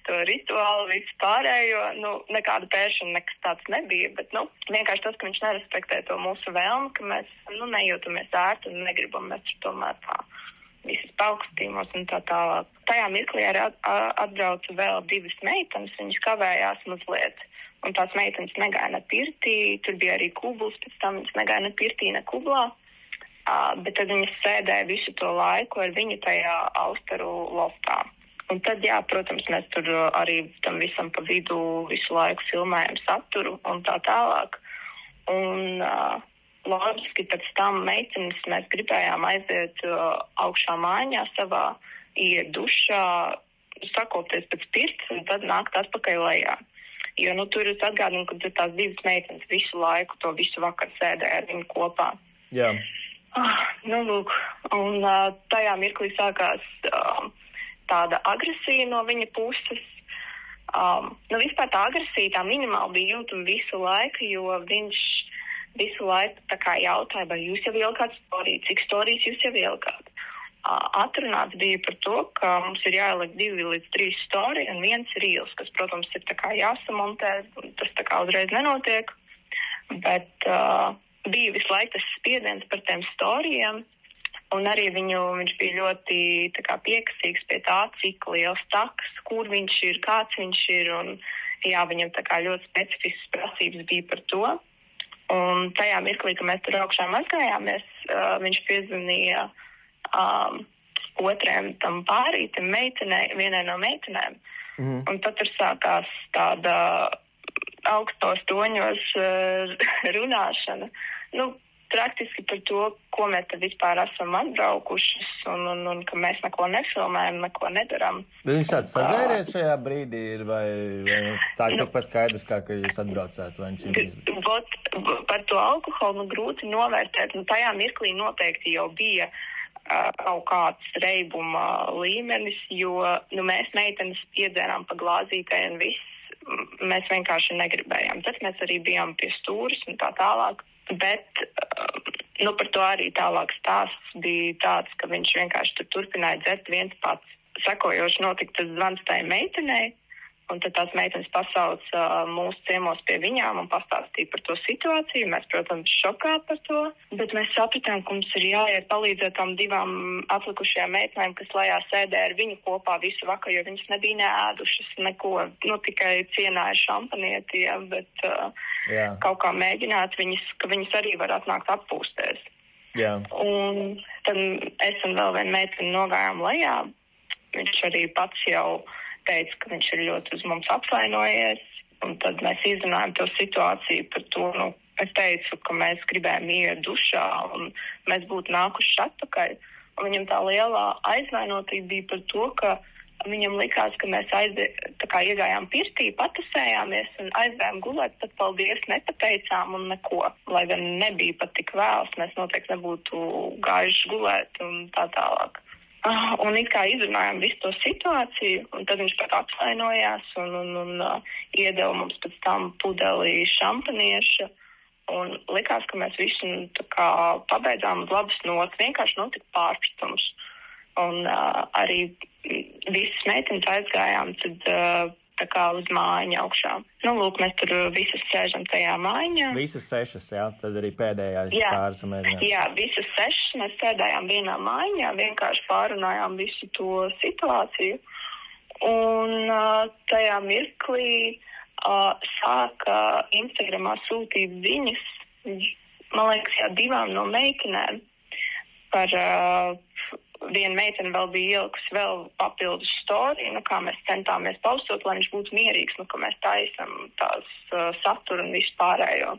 to rituālu, visu pārējo, nu, nekāda pēršana, nekas tāds nebija, bet, nu, vienkārši tas, ka viņš nerespektē to mūsu vēlmu, ka mēs, nu, nejūtamies ērti un negribam mēs tomēr tā visas paaugstījumos un tā tālāk. Tajā mirklī arī atbrauca vēl divas meitenes, viņas kavējās mazliet, un tās meitenes negāja ne pirtī, tur bija arī kubls, pēc tam viņas negāja ne pirtī, ne kublā, uh, bet tad viņas sēdēja visu to laiku ar viņu tajā austaru loftā. Un tad, jā, protams, mēs tur arī tam visam pa vidu visu laiku filmējam saturu un tā tālāk. Un uh, loģiski pēc tam meitenes mēs gribējām aiziet uh, augšā mājā savā, iet dušā, sakopties pēc pirts un tad nākt atpakaļ lejā. Jo, nu, tur es atgādinu, ka tur tās divas meitenes visu laiku to visu vakaru sēdēja ar viņu kopā. Jā. Ah, nu, lūk, un uh, tajā mirklī sākās... Uh, tāda agresija no viņa puses. Um, nu, vispār tā agresija tā minimāli bija jūtama visu laiku, jo viņš visu laiku tā kā jautāja, vai jūs jau ielkāt storiju, cik storijas jūs jau ielkāt. Uh, atrunāts bija par to, ka mums ir jāieliek divi līdz trīs storija un viens rīls, kas, protams, ir tā kā jāsamontē, tas tā kā uzreiz nenotiek, bet uh, bija visu laiku tas spiediens par tiem storijiem. Un arī viņu, viņš bija ļoti tā kā piekasīgs pie tā, cik liels taks, kur viņš ir, kāds viņš ir. Un, jā, viņam tā kā ļoti specifiskas prasības bija par to. Un tajā mirklī, ka mēs tur augšā mazgājāmies, uh, viņš piezvanīja um, otriem tam pārītam meitenei, vienai no meitenēm. Mm. Un tad tur sākās tāda augstos toņos uh, runāšana. Nu, praktiski par to, ko mēs te vispār esam atbraukušas un, un, un ka mēs neko nefilmējam, neko nedaram. Bet viņš tāds sazēries šajā brīdī ir vai, vai tā ir nu, kaut kas skaidrs, kā, ka jūs atbraucāt? Vai viņš ir... Bot, par to alkoholu nu, grūti novērtēt. Nu, tajā mirklī noteikti jau bija uh, kaut kāds reibuma līmenis, jo nu, mēs meitenes piedzērām pa glāzītē un viss. Mēs vienkārši negribējām. Tad mēs arī bijām pie stūras un tā tālāk. Bet nu, par to arī tālāk stāsts bija tāds, ka viņš vienkārši tur turpināja dzert viens pats. Sekojoši notika tas zvans tai meitenei, Un tad tās meitenes pasauc uh, mūsu ciemos pie viņām un pastāstīja par to situāciju. Mēs, protams, šokā par to, bet mēs sapratām, ka mums ir jāiet palīdzēt tām divām atlikušajām meitenēm, kas lejā sēdē ar viņu kopā visu vakaru, jo viņas nebija neēdušas neko, nu tikai cienāja šampanieti, ja, bet uh, Jā. kaut kā mēģināt viņas, ka viņas arī var atnākt atpūsties. Jā. Un tad es un vēl viena meitene nogājām lejā. Viņš arī pats jau teica, ka viņš ir ļoti uz mums apvainojies, un tad mēs izrunājām to situāciju par to, nu, es teicu, ka mēs gribējām iet dušā, un mēs būtu nākuši atpakaļ, un viņam tā lielā aizvainotība bija par to, ka viņam likās, ka mēs aizde, tā kā iegājām pirtī, patusējāmies un aizgājām gulēt, tad paldies nepateicām un neko, lai gan nebija pat tik vēls, mēs noteikti nebūtu gājuši gulēt un tā tālāk. Un it kā izrunājām visu to situāciju, un tad viņš pat atvainojās un, un, un uh, iedeva mums pēc tam pudeli šampanieša. Un likās, ka mēs visu nu, tā kā pabeidzām uz labas notas, vienkārši notika pārpratums. Un uh, arī visas meitenes aizgājām tad uh, tā kā uz mājiņu augšā. Nu, lūk, mēs tur visas sēžam tajā mājiņā. Visas sešas, jā, tad arī pēdējais jā. pāris samēģinājums. Jā, visas sešas mēs sēdējām vienā mājiņā, vienkārši pārunājām visu to situāciju. Un uh, tajā mirklī uh, sāka Instagramā sūtīt ziņas, man liekas, jā, divām no meitenēm par... Uh, Viena meitene vēl bija ielikusi vēl papildus storiju, nu, kā mēs centāmies paustot, lai viņš būtu mierīgs, nu, ka mēs taisam tās uh, saturu un visu pārējo.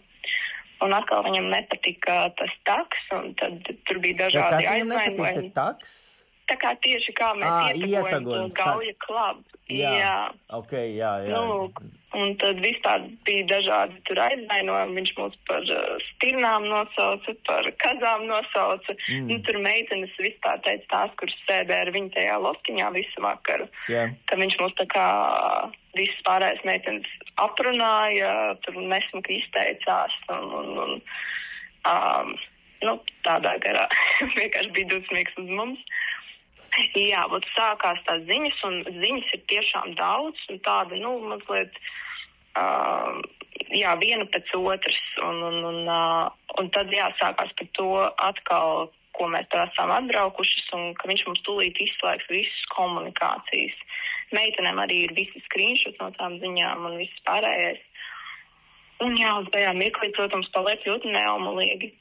Un atkal viņam nepatika tas taks, un tad tur bija dažādi aizvainojumi. Kas viņam nepatika taks? Tā kā tieši kā mēs à, ietagojam to gauja klabu. Jā, jā. ok, jā, jā. Nu, un tad vispār bija dažādi tur aizvainojumi. Viņš mūs par uh, stirnām nosauca, par kazām nosauca. Mm. Nu, tur meitenes vispār teica tās, kuras sēdē ar viņu tajā loskiņā visu vakaru. Yeah. Ka viņš mūs tā kā visas pārējais meitenes aprunāja, tur nesmuki izteicās un, un, un um, nu, tādā garā. Vienkārši bija dusmīgs uz mums. Jā, bet sākās tās ziņas, un ziņas ir tiešām daudz, un tāda, nu, mazliet, uh, jā, viena pēc otras, un, un, un, uh, un tad, jā, sākās par to atkal, ko mēs tā esam atbraukušas, un ka viņš mums tūlīt izslēgs visas komunikācijas. Meitenēm arī ir visi screenshots no tām ziņām un viss pārējais. Un jā, uz tajā mirklī, protams, paliek ļoti neomulīgi.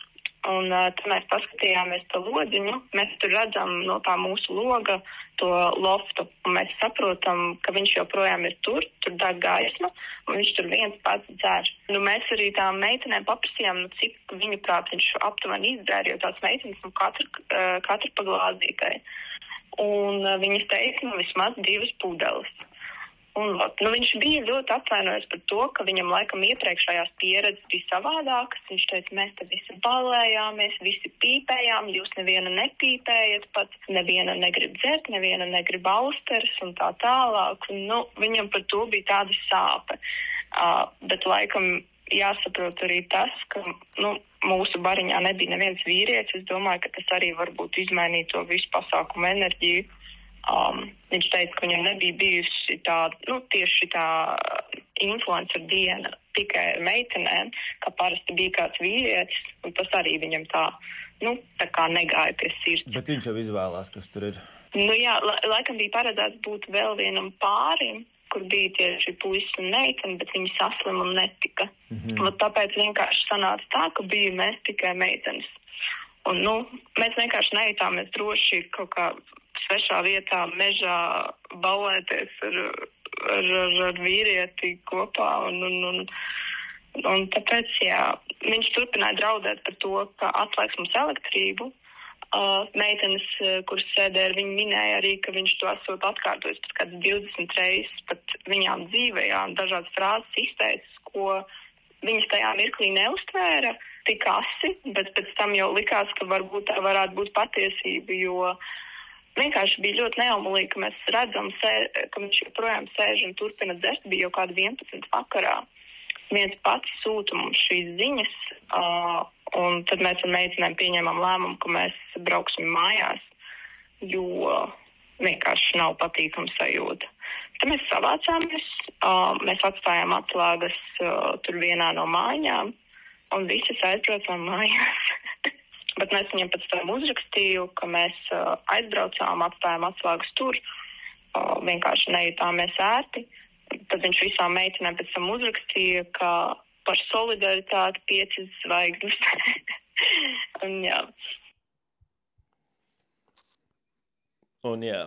Un uh, tad mēs paskatījāmies pa lodziņu, mēs tur redzam no tā mūsu loga to loftu, un mēs saprotam, ka viņš joprojām ir tur, tur deg gaisma, un viņš tur viens pats dzer. Nu, mēs arī tām meitenēm paprasījām, nu, cik viņu prāt viņš aptuveni izdzēra, jo tās meitenes, nu, katru, uh, katru pa glāzītai. Un uh, viņas teica, nu, vismaz divas pudeles. Un, nu, viņš bija ļoti atvainojies par to, ka viņam laikam iepriekšējās pieredzes bija savādākas. Viņš teica, mēs te visi balējāmies, visi pīpējām, jūs neviena nepīpējat, pat neviena negrib dzert, neviena negrib austeres un tā tālāk. Un, nu, viņam par to bija tāda sāpe. Uh, bet laikam jāsaprot arī tas, ka nu, mūsu bariņā nebija neviens vīrietis. Es domāju, ka tas arī varbūt izmainīja to visu pasākumu enerģiju. Um, viņš teica, ka viņam nebija bijusi tā, nu, tieši tā influencer diena tikai ar meitenēm, ka parasti bija kāds vīrietis, un tas arī viņam tā, nu, tā kā negāja pie sirds. Bet viņš jau izvēlās, kas tur ir. Nu jā, la, laikam bija paredzēts būt vēl vienam pārim, kur bija tieši puisis un meitene, bet viņi saslim un netika. Mm-hmm. Un tāpēc vienkārši sanāca tā, ka bija mēs tikai meitenes. Un, nu, mēs vienkārši nejūtāmies droši kaut kā svešā vietā, mežā balēties ar, ar, ar, ar vīrieti kopā. Un, un, un, un tāpēc, jā, viņš turpināja draudēt par to, ka atslēgs mums elektrību. Uh, meitenes, kuras sēdē ar viņu, minēja arī, ka viņš to esot atkārtojis pat kāds divdesmit reizes, pat viņām dzīvējām dažādas frāzes izteicis, ko viņas tajā mirklī neuztvēra tik asi, bet pēc tam jau likās, ka varbūt tā varētu būt patiesība, jo vienkārši bija ļoti neomulīgi, ka mēs redzam, sē, ka viņš joprojām sēž un turpina dzert, bija jau kādi vienpadsmit vakarā. Viens pats sūta mums šīs ziņas, uh, un tad mēs ar meitenēm pieņēmām lēmumu, ka mēs brauksim mājās, jo vienkārši nav patīkama sajūta. Tad mēs savācāmies, uh, mēs atstājām atslēgas uh, tur vienā no mājām, un visas aizbraucām mājās. Bet mēs viņam pēc tam uzrakstīju, ka mēs uh, aizbraucām, atstājām atslēgas tur, uh, vienkārši nejutāmies ērti. Tad viņš visām meitenēm pēc tam uzrakstīja, ka par solidaritāti piecas zvaigznes. un jā. Un jā.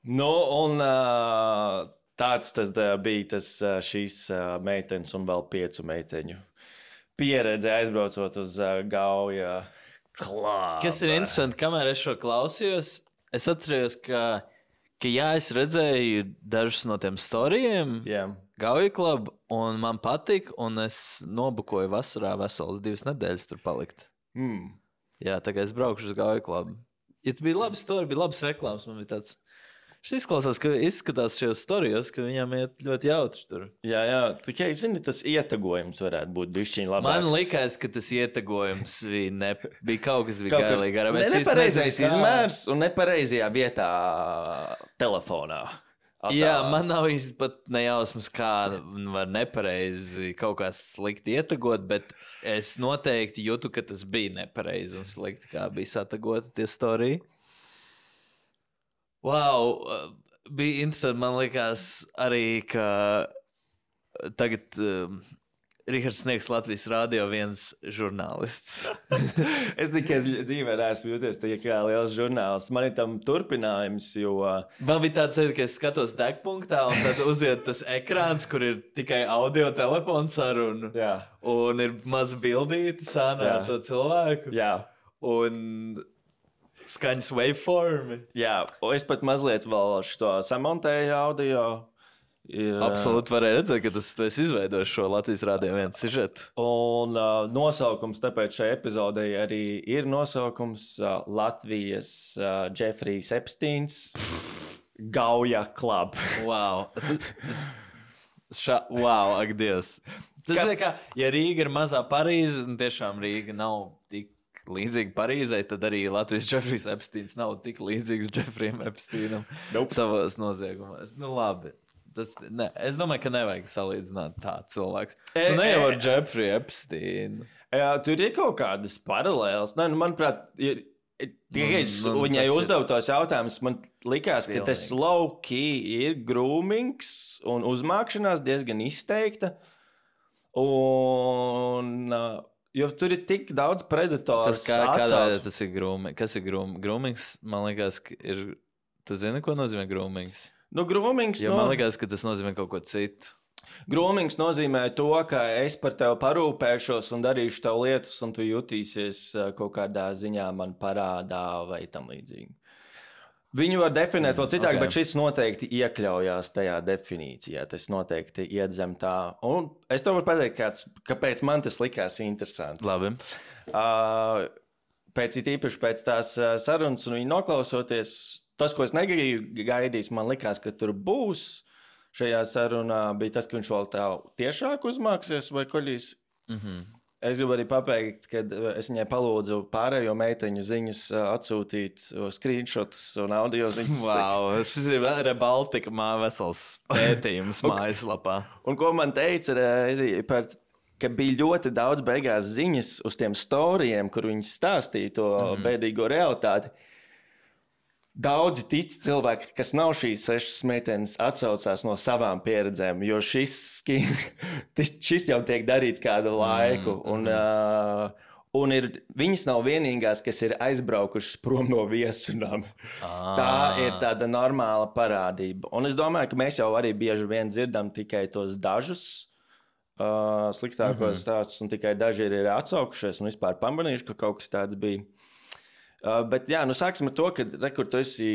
Nu, un uh, tāds tas uh, bija tas uh, šīs uh, meitenes un vēl piecu meiteņu pieredze aizbraucot uz uh, Gauja klābu. Kas ir interesanti, kamēr es šo klausījos, es atcerējos, ka, ka jā, es redzēju dažus no tiem storijiem yeah. Gauja klubu, un man patika, un es nobukoju vasarā veselas divas nedēļas tur palikt. Mm. Jā, tā kā es braukšu uz Gauja klubu. Ja tu bija labi storija, bija labas reklāmas, man bija tāds... Šis izklausās, ka izskatās šajos storijos, ka viņam iet ļoti jautri tur. Jā, jā, tikai, zini, tas ietagojums varētu būt bišķiņ labāks. Man likās, ka tas ietagojums bija, ne, bija kaut kas bija gailīgi. Ne, nepareizais izmērs un nepareizajā vietā telefonā. Atā. Jā, man nav īsti pat nejausmas, kā var nepareizi kaut kā slikti ietagot, bet es noteikti jūtu, ka tas bija nepareizi un slikti, kā bija satagota tie storija. Wow, bija interesanti, man likās arī, ka tagad uh, Rihards Sniegs Latvijas rādio viens žurnālists. Es tikai dzīvē neesmu jūties tikai kā liels žurnālists. Man ir tam turpinājums, jo... Man bija tāds, ka es skatos degpunktā un tad uziet tas ekrāns, kur ir tikai audio telefons saruna. Jā. Un ir maz bildīti sānā ar to cilvēku. Jā. Un... skaņas waveformi. Jā, un es pat mazliet vēl šo samontēju audio. Jā. Absolūti varēja redzēt, ka tas, tu esi izveidojis šo Latvijas rādio viens sižetu. Un uh, nosaukums, tāpēc šai epizodei arī ir nosaukums uh, Latvijas uh, Jeffrijs Epsteins Gauja Club. Wow. Ša, wow, ak Dievs. Tas ir kā, ja Rīga ir mazā Parīze, un tiešām Rīga nav tik līdzīgi Parīzei, tad arī Latvijas Jeffrijs Epsteins nav tik līdzīgs Jeffrijam Epsteinam nope. Savos noziegumos. Nu labi. Tas, ne, es domāju, ka nevajag salīdzināt tā cilvēks. E, nu, ne jau ar Jeffrey Epsteinu. Jā, tur ir kaut kādas paralēlas. Ne, nu, manuprāt, ir, tikai es nu, viņai uzdevu tos jautājumus, man likās, ka tas low-key ir groomings un uzmākšanās diezgan izteikta. Un... Jo tur ir tik daudz predators. Tas kā, kādā veidā tas ir grooming? Kas ir groom, groomings? Man liekas, ka ir... Tu zini, ko nozīmē groomings? Nu, groomings... Jo no... man liekas, ka tas nozīmē kaut ko citu. Groomings nozīmē to, ka es par tevi parūpēšos un darīšu tev lietas, un tu jutīsies kaut kādā ziņā man parādā vai tam līdzīgi. Viņu var definēt vēl citāk, okay. Bet šis noteikti iekļaujās tajā definīcijā. Tas noteikti iet zem tā. Un es tev varu pateikt, kāds, kāpēc man tas likās interesanti. Labi. Uh, pēc it īpaši pēc tās sarunas un viņu noklausoties, tas, ko es negaidīju gaidījis, man likās, ka tur būs šajā sarunā, bija tas, ka viņš vēl tā tiešāk uzmāksies vai koļīs. Mhm. Es gribu arī pabeigt, kad es viņai palūdzu pārējo meiteņu ziņas atsūtīt screenshotus un audio ziņas. Wow, šis ir Rebaltika mā vesels pētījums mājaslapā. Un ko man teica, par, ka bija ļoti daudz beigās ziņas uz tiem storijiem, kur viņi stāstīja to mm-hmm. bēdīgo realitāti. Daudzi tic cilvēki, kas nav šīs sešas meitenes, atsaucās no savām pieredzēm, jo šis, šis jau tiek darīts kādu laiku. Mm, un, mm. uh, un ir, viņas nav vienīgās, kas ir aizbraukušas prom no viesunām. Ah. Tā ir tāda normāla parādība. Un es domāju, ka mēs jau arī bieži vien dzirdam tikai tos dažus uh, sliktākos mm-hmm. stāstus, un tikai daži ir atsaukušies un vispār pamanījuši, ka kaut kas tāds bija. Uh, bet jā, nu sāksim ar to, ka re, kur tu esi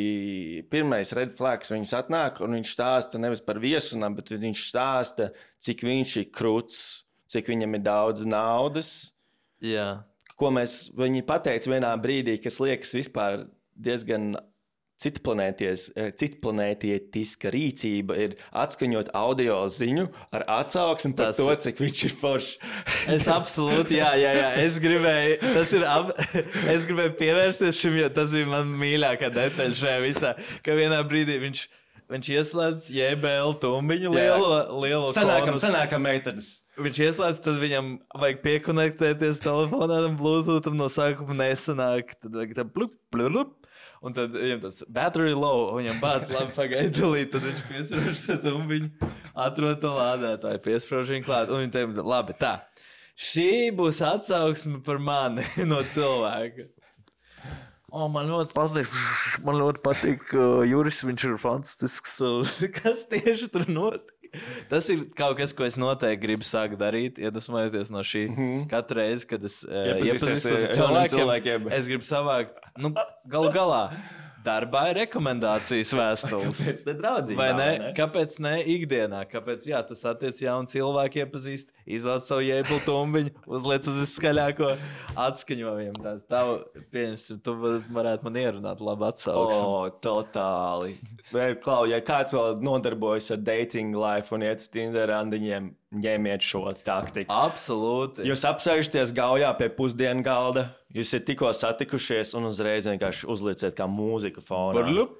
pirmais red flags, viņas atnāk un viņš stāsta nevis par viesunām, bet viņš stāsta, cik viņš ir kruts, cik viņam ir daudz naudas. Jā. Ko mēs, viņi pateica vienā brīdī, kas liekas vispār diezgan citplanētietiska rīcība ir atskaņot audio ziņu ar atsauksmi par tas... to, cik viņš ir foršs. Es absolūti, jā, jā, jā. Es gribēju, tas ir, ab... es gribēju pievērsties šim, jo tas bija man mīļākā detaļa šajā visā, ka vienā brīdī viņš viņš ieslēdz J B L tumbiņu lielo, lielo Sanākam, konus. sanākam meitenes. Viņš ieslēdz, tad viņam vajag piekonektēties telefonām, Bluetootham no sākuma nesanāk. Tad vajag tā plup, plup, plup. Un tad viņam tāds battery low, viņam bāc labi pagaidulīt, tad viņš piesprauž to tumbiņu, atrod to lādētāju, piesprauž viņu klāt. Un viņi teica, labi, tā, šī būs atsauksme par mani no cilvēka. O, man ļoti patīk, man ļoti patīk, uh, Juris, viņš ir fantastisks. Kas tieši tur notiek? Tas ir kaut kas, ko es noteikti gribu sākt darīt, iedvesmojoties no šī. Mm-hmm. Katru reizi, kad es uh, iepazīstos ar cilvēkiem, cilvēkiem, es gribu savākt, nu, galu galā. Darbā ir rekomendācijas vēstules. Kāpēc ne draudzībā? Vai ne? ne? Kāpēc ne ikdienā? Kāpēc, jā, tu satiec jaunu cilvēku iepazīst, izvāc savu jēblu tumbiņu, uzliec uz viskaļāko atskaņojumu. Tās tavu, pieņemsim, tu varētu man ierunāt labu atsauksmi. O, totāli. Klau, ja kāds vēl nodarbojas ar dating life un iet uz Tinder randiņiem, ņemiet šo taktiku. Absolūti. Jūs apsēžaties gaujā pie pusdienu galda, jūs esat tikko satikušies un uzreiz vienkārši uzlieciet kā mūzika fonā. Barlup.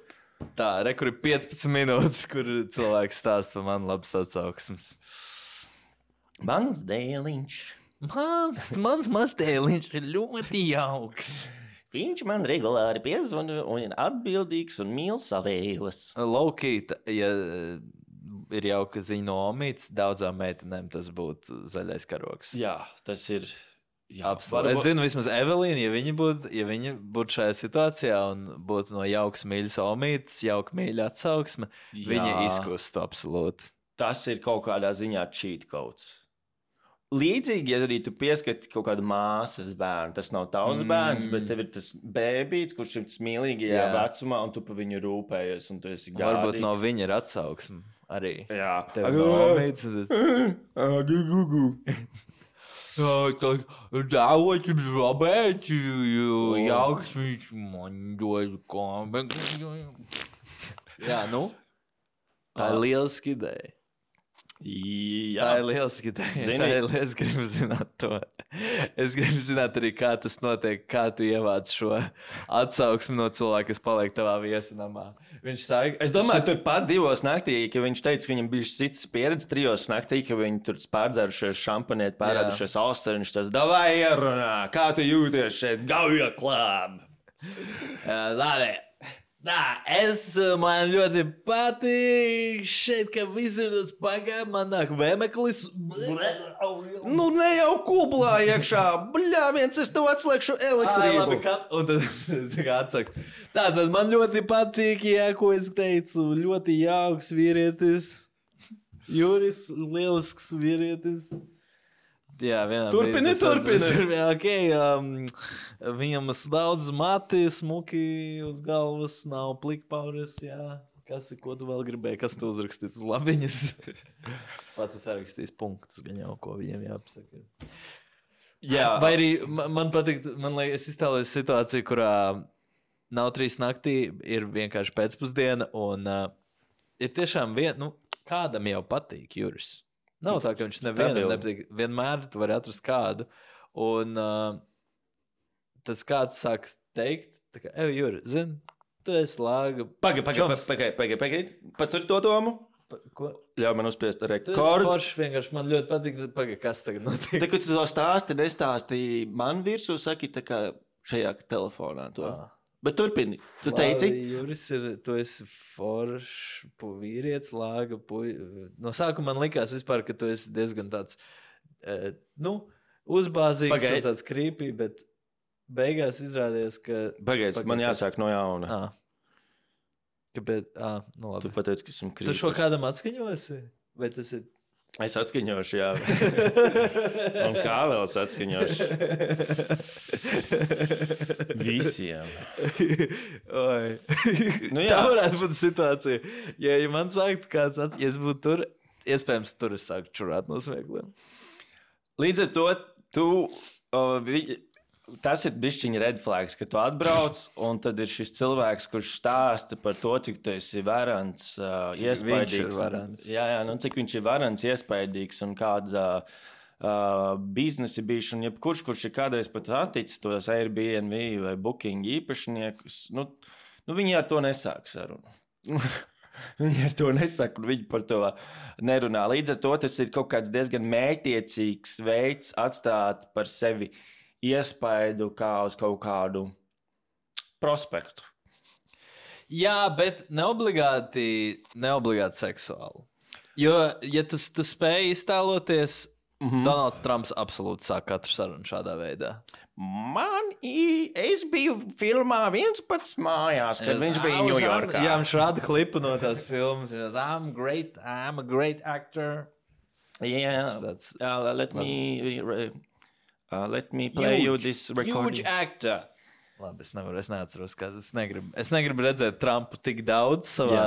Tā, re, kur ir piecpadsmit minūtes, kur cilvēks stāsta par mani labas atsauksmes. Mans dēliņš. Mans, mans mazdēliņš ir ļoti jauks. Viņš man regulāri piezvana un ir atbildīgs un mīl savējos. Laukīt, ja ir jauka ziņa no omītes, daudzām meitenēm tas būtu zaļais karoks. Jā, tas ir... Jā, absolūti. Es zinu, vismaz Evelīna, ja viņa būtu ja būt šajā situācijā un būtu no jaukas mīļas omītes, jauka mīļa atsauksme, jā. Viņa izkustu absolūti. Tas ir kaut kādā ziņā cheat codes. Līdzīgi, ja arī tu pieskati kaut kādu māsas bērnu, tas nav tavs mm. bērns, bet tev ir tas bēbīts, kurš ir mīlīgajā jā. Vecumā, un tu par viņu rūpējies, un tu esi gādīgs. Varbūt no viņa ir atsauksme arī. Jā. Tev no omītes. Gugu. Dāvot jums labēt, jauks viņš man dod kombek. Jā, nu, tā ir lieliski ideja. Jā. Tā ir lieliski ideja. Tā ir lieliski, es gribu zināt to. Es gribu zināt arī, kā tas notiek, kā tu ievāc šo atsauksmi no cilvēka, kas paliek tavā viesinamā. Viņš sāk... Es domāju, tur pat divos naktī, ka viņš teica, ka viņam bija cits pieredze trijos naktī, ka viņi tur pārdzērušies šampanieti, pārēdušies austeru, viņš tas davai ierunā, kā tu jūties šeit, gauja klāb. Labi. Tā, es man ļoti patīk šeit, ka viss ir tas pagāja, man nāk vēmeklis. Nu, ne jau kublā iekšā, bļā, viens es tev atslēgšu elektrību. Ai, labi, kat... Un tad es atsaktu. Tā, tad man ļoti patīk, jā, ko es teicu, ļoti jauks vīrietis. Juris, lielisks vīrietis. Jā, vienā turpini, turpini. Turpini. Okay, um, viņam daudz mati, smuki uz galvas, nav plikpaures, jā. Kas ir, ko tu vēl gribēji, kas tu uzrakstīts uz labiņas? Pats es sarakstījis punktus, gan jau, ko viņiem jāpasaka. Jā. Vai arī man patīk, man liekas, es iztēloju situāciju, kurā nav trīs naktī, ir vienkārši pēcpusdiena, un uh, ir tiešām vien, nu, kādam jau patīk Juris. Nav tā, ka viņš nevienam nepatīk. Vienmēr tu vari atrast kādu. Un uh, tas kāds sāks teikt, tā kā, ej, Juri, zini, tu esi lāga. Pagai, pagai, pagai, pagai, pagai. Patur to domu. Pa, ko? Ļauj man uzspiest rekordu. Tu esi forši vienkārši, man ļoti patīk, pagai, kas tagad notiek. Tā, kad tu to stāsti, nestāstīji man virsū, saki tā kā šajā telefonā to. Ah. Bet turpini, tu teici? Labi, Juris, ir, tu esi foršs vīrietis, lāga puj... No sākuma man likās vispār, ka tu esi diezgan tāds, eh, nu, uzbāzīgs Pagaid. Un tāds creepy, bet beigās izrādījās, ka... Pagaid, man jāsāk no jauna. Ah. Kāpēc? Ah, nu labi. Tu pateici, ka esmu creepy. Tu šo kādam atskaņosi? Vai tas ir... Es atskaņošu, jā. Un kā vēl es atskaņošu? Visiem. Oi. Nu, tā varētu būt situācija. Ja, ja man sākt kāds, at... ja es būtu tur, iespējams, tur es sāku čurāt no smiekliem. Līdz ar to, tu... O, vi... Tas ir bišķiņa red flags, ka tu atbrauc, un tad ir šis cilvēks, kurš stāsta par to, cik tu esi varants, uh, iespaidīgs. Viņš ir varants. Jā, jā, nu cik viņš ir varants, iespaidīgs, un kāda uh, biznesi bijuši, un jebkurš, kurš ir kādreiz pat atticis tos Airbnb vai Booking īpašniekus, nu, nu viņi ar to nesāk sarunu. Viņi ar to nesaka, un viņi par to nerunā. Līdz ar to tas ir kaut kāds diezgan mērķiecīgs veids atstāt par sevi iespaidu kā uz kaut kādu prospektu. Jā, bet neobligāti, neobligāti seksuāli. Jo, ja tu, tu spēj iztēloties, mm-hmm. Donalds Trumps absolūti sāk katru sarunu šādā veidā. Man, es biju filmā viens pats mājās, kad yes, viņš bija Ņujorkā. Jā, viņš rāda klipu no tās filmas. Viņš teica, I'm great, I'm a great actor. Yeah, that's, uh, let me uh, let me play huge, you this recording. Huge actor. Labi, es nevaru, es neatceros, kā es negribu. Es negribu redzēt Trumpu tik daudz savā,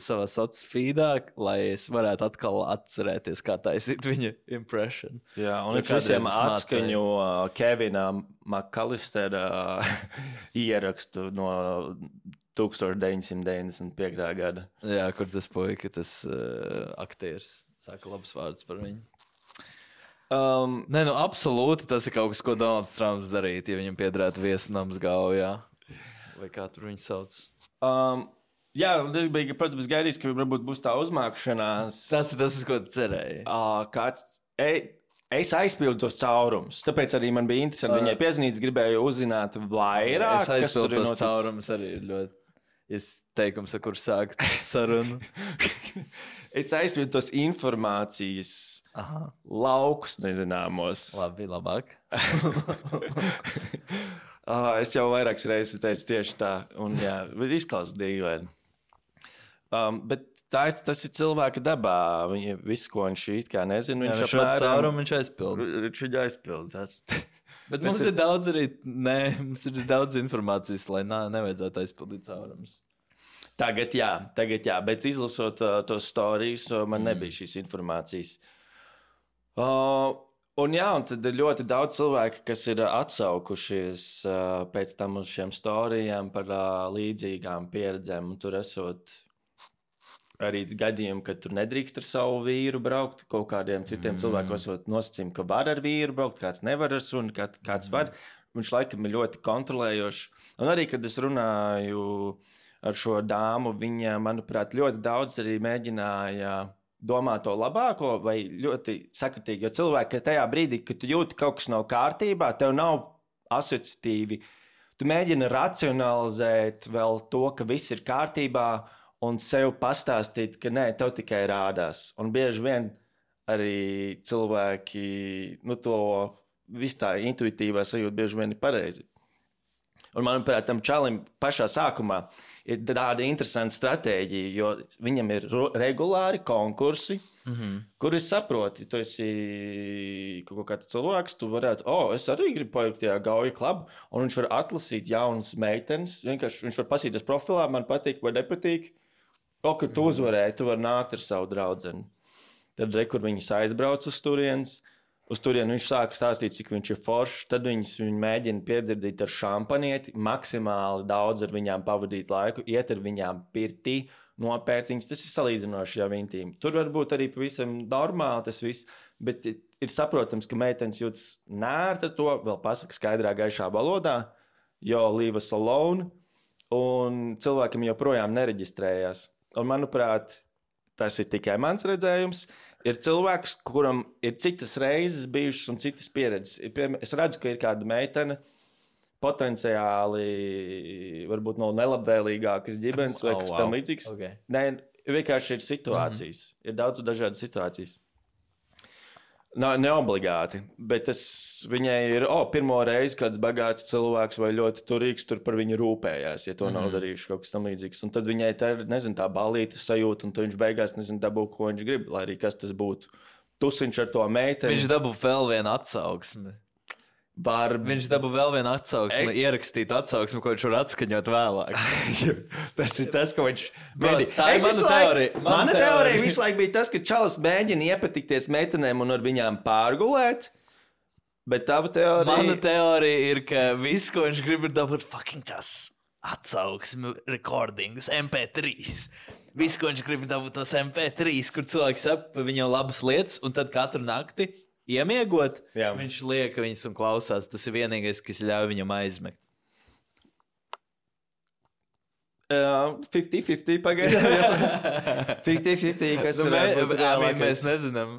savā sociālā feedā, lai es varētu atkal atcerēties, kā taisīt viņa impression. Jā, un viņš visiem atskaņo uh, Kevina McAllistera uh, ierakstu no deviņpadsmit deviņdesmit piektajā gada. Jā, kur tas puika, tas uh, aktieris saka labs vārds par viņu. Um, Nē, nu absolūti tas ir kaut kas, ko Donalds Trumps darītu, ja viņam piederētu viesnams Gaujā. Vai kā tur viņu sauc? Um, jā, es biju, protams, gaidījis, ka varbūt būs tā uzmākšanās. Tas ir tas, uz ko tu cerēji. Uh, kāds, e, es aizpildu tos caurumus, tāpēc arī man bija interesanti uh, viņai piezinīt, gribēju uzzināt vairāk. Es aizpildu tos caurumus arī ļoti. Es teikums, ar kur sākt sarunu. Es aizpildu tos informācijas Aha. laukus nezināmos. Labi, labāk. uh, es jau vairākas reizes teicu tieši tā, un jā, izklausās dīvaini. Um, bet tā, tas ir cilvēka dabā. Viņa, visu, ko viņš it kā nezina, viņš jā, apmēram... Caurumu viņš aizpildu. Viņš viņu aizpildu. Tas... Bet mums ir... ir daudz arī, nē, mums ir daudz informācijas, lai nā, nevajadzētu aizpildīt caurumus. Tagad jā, tagad jā, bet izlasot uh, tos stāstus, uh, man mm. nebija šīs informācijas. Uh, un jā, un tad ir ļoti daudz cilvēku, kas ir uh, atsaukušies uh, pēc tam uz šiem stāstiem par uh, līdzīgām pieredzēm. Un tur esot arī gadījumi, ka tur nedrīkst ar savu vīru braukt. Kaut kādiem citiem mm. cilvēkiem esot nosacījumi, ka var ar vīru braukt, kāds nevar ar suni, kā, kāds mm. var. Viņš laikam ir ļoti kontrolējošs. Un arī, kad es runāju ar šo dāmu, viņa, manuprāt, ļoti daudz arī mēģināja domāt to labāko vai ļoti sakritīgi. Jo cilvēki tajā brīdī, kad tu jūti kaut kas nav kārtībā, tev nav asociatīvi. Tu mēģini racionalizēt vēl to, ka viss ir kārtībā, un sev pastāstīt, ka nē, tev tikai rādās. Un bieži vien arī cilvēki, nu to viss tā intuitīvā sajūta bieži vien ir pareizi. Un manuprāt, tam čalim pašā sākumā ir tāda interesanta stratēģija, jo viņam ir regulāri konkursi, mm-hmm. kur es saproti, tu esi kaut kāds cilvēks, tu varētu, o, oh, es arī gribu paiet tajā Gauja klubu, un viņš var atlasīt jaunas meitenes, vienkārši viņš var pasīties profilā, man patīk vai nepatīk. O, kur tu uzvarēji, tu vari nākt ar savu draudzeni. Tad, re, kur viņas aizbrauc uz turienes, uz turieni viņš sāka stāstīt, cik viņš ir foršs, tad viņas viņu mēģina piedzirdīt ar šampanieti, maksimāli daudz ar viņām pavadīt laiku, iet ar viņām pirtī, nopērt viņas. Tas ir salīdzinoši jau intīmi. Tur var būt arī pavisam normāli tas viss, bet ir saprotams, ka meitenes jūtas nērti ar to, vēl pasaka skaidrā gaišā valodā, jo leave us alone, un cilvēkam joprojām nereģistrējās. Un, manuprāt, tas ir tikai mans redzējums. Ir cilvēks, kuram ir citas reizes bijušas un citas pieredzes. Es redzu, ka ir kāda meitene, potenciāli varbūt no nelabvēlīgākas ģimenes vai oh, kas wow. tam līdzīgs. Okay. Nē, vienkārši ir situācijas. Mm-hmm. Ir daudz dažādas situācijas. No, neobligāti, bet tas viņai ir, o, oh, pirmo reizi kāds bagāts cilvēks vai ļoti turīgs tur par viņu rūpējās, ja to mm-hmm. nav darījuši kaut kas tam līdzīgs. Un tad viņai tā ir, nezinu, tā balīta sajūta, un tad viņš beigās, nezinu, dabū, ko viņš grib, lai arī kas tas būtu. Tusiņš ar to meiteni. Viņš dabū vēl vienu atsauksmi. Var... Viņš dabū vēl vienu atsauksmi, e... ierakstīt atsauksmi, ko viņš var atskaņot vēlāk. Tas ir tas, ko viņš... Bro, tā ir mana teorija. Mana, mana teorija visu laiku bija tas, ka čalis mēģina iepatikties meitenēm un ar viņām pārgulēt, bet tava teorija... Mana teorija ir, ka viss, ko viņš grib, ir dabūt fucking tas atsauksmi, recordings, M P trīs. Viss, ko viņš grib, ir dabūt tos M P trīs, kur cilvēks sap viņam labas lietas, un tad katru nakti iemiegot, jā. Viņš liek viņas un klausās. Tas ir vienīgais, kas ļauj viņam aizmigt. fifty fifty pagaidām. fifty fifty, kas Nu, varētu būt mē, reālākais. mēs nezinām.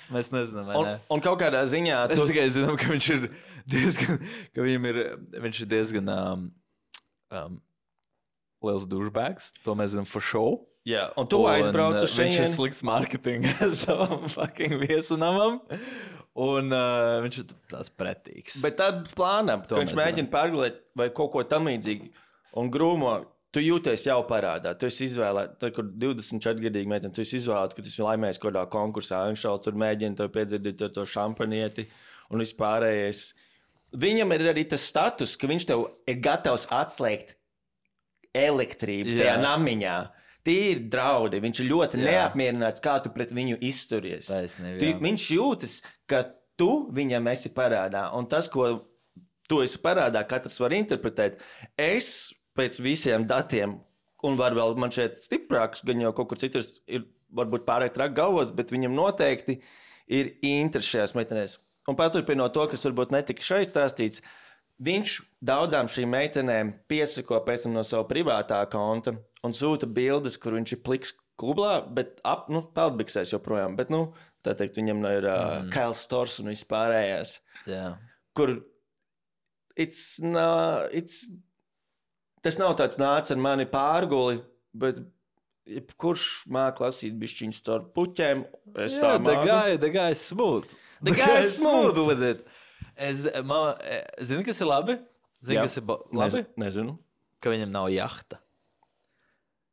Mēs nezinām, vai Un, ne? un kaut kādā ziņā Es tu... tikai zinu, ka viņš ir diezgan, ka viņam ir, viņš ir diezgan um, um, liels douchebags. To mēs zinām for show. Jā, un tu aizbrauc uz Viņš ir šejieni. slikts marketinga savam fucking viesunamam. Un uh, viņš ir tās pretīgs. Bet tad plānam, ka To viņš mēs mēģina pārgulēt vai kaut ko tam līdzīgu. Un grūmo, tu jūties jau parādā. Tu esi izvēlēts, tad, kur divdesmit četri gadīgi meitene, tu esi izvēlēts, ka tu esi laimējis kaut kādā konkursā. Viņš jau tur mēģina to piedzirdīt to, to šampanieti un vispārējais. Viņam ir arī tas status, ka viņš tev ir gatavs atslēgt elektrību Jā. tajā namiņā. Tie ir draudi. Viņš ir ļoti Jā. neapmierināts, kā tu pret viņu izturies. Taisnība, Tu, jā. viņš jūtas, ka tu viņam esi parādā. Un tas, ko tu esi parādā, katrs var interpretēt. Es pēc visiem datiem, un var vēl man šeit stiprāks, gan jau kaut kur citur ir varbūt pārāk traki galvot, bet viņam noteikti ir interesi šajās meitenēs. Un paturpinot to, kas varbūt netika šeit stāstīts, viņš daudzām šīm meitenēm piesako pēc tam no sava privātā konta un sūta bildes, kur viņš ir pliks klublā, bet ap, nu, peldbiksēs joprojām. Bet, nu, tā teikt, viņam ir uh, mm. Kails Stors un vispārējās, Jā. kur it's not, it's, tas nav tāds nāc ar mani pārguli, bet kurš māk lasīt bišķiņas caur puķēm, es tā Jā, the māku. guy, the guy is smooth. The guy is smooth with it. Es, man, zini, kas ir labi? Zini, Jā. kas ir ba- labi? Nez, nezinu. Ka viņam nav jahta.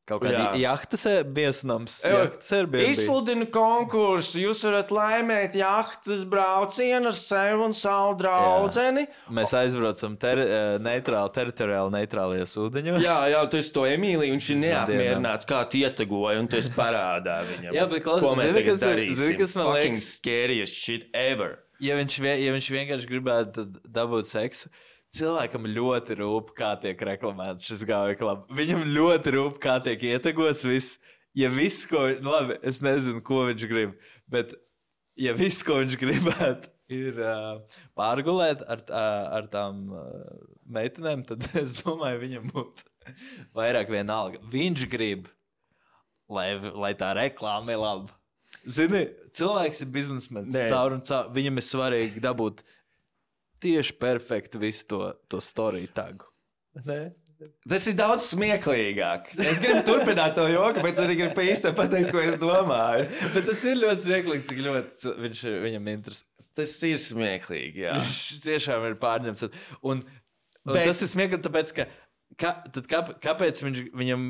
Kaut kāda Jā. jahtas viesnams. Evo, Jahtas Airbnb. Izsludinu konkursu, jūs varat laimēt jahtas braucienu ar sevi un savu draudzeni. Mēs aizbraucam ter, eh, neitrāli, teritoriāli neitrālajos ūdeņos. Jā, jā, tu esi to Emīliju, viņš ir Dienām. neapmierināts, kā tu ietegoji, un tu esi parādā viņam. Jā, bet klausies, ko mēs zini, tagad kas ir- darīsim? zini, kas man Fucking liekas- scariest shit ever. Ja viņš, vie- ja viņš vienkārši gribētu dabūt seksu, cilvēkam ļoti rūp, kā tiek reklamēts šis gāvja klubs. Viņam ļoti rūp, kā tiek ietegots viss. Ja viss, ko viņš, nu labi, es nezinu, ko viņš grib, bet ja viss, ko viņš gribētu, ir uh, pārgulēt ar, uh, ar tām uh, meitenēm, tad es domāju, viņam būtu vairāk vienalga. Viņš grib, lai, lai tā reklāma ir laba. Zini, cilvēks ir biznesmenis. Nē. Caur un caur. Viņam ir svarīgi dabūt tieši perfektu visu to, to storiju tagu. Ne? Tas ir daudz smieklīgāk. Es gribu turpināt to joku, bet es arī gribu pa īsti pateikt, ko es domāju. Bet tas ir ļoti smieklīgi, cik ļoti cil- viņš, ir- viņam interesē. Tas ir smieklīgi, jā. Viņš tiešām ir pārņemts. Un, un Bet- tas ir smieklīgi, tāpēc, ka ka, tad kā, kāpēc viņš, viņam,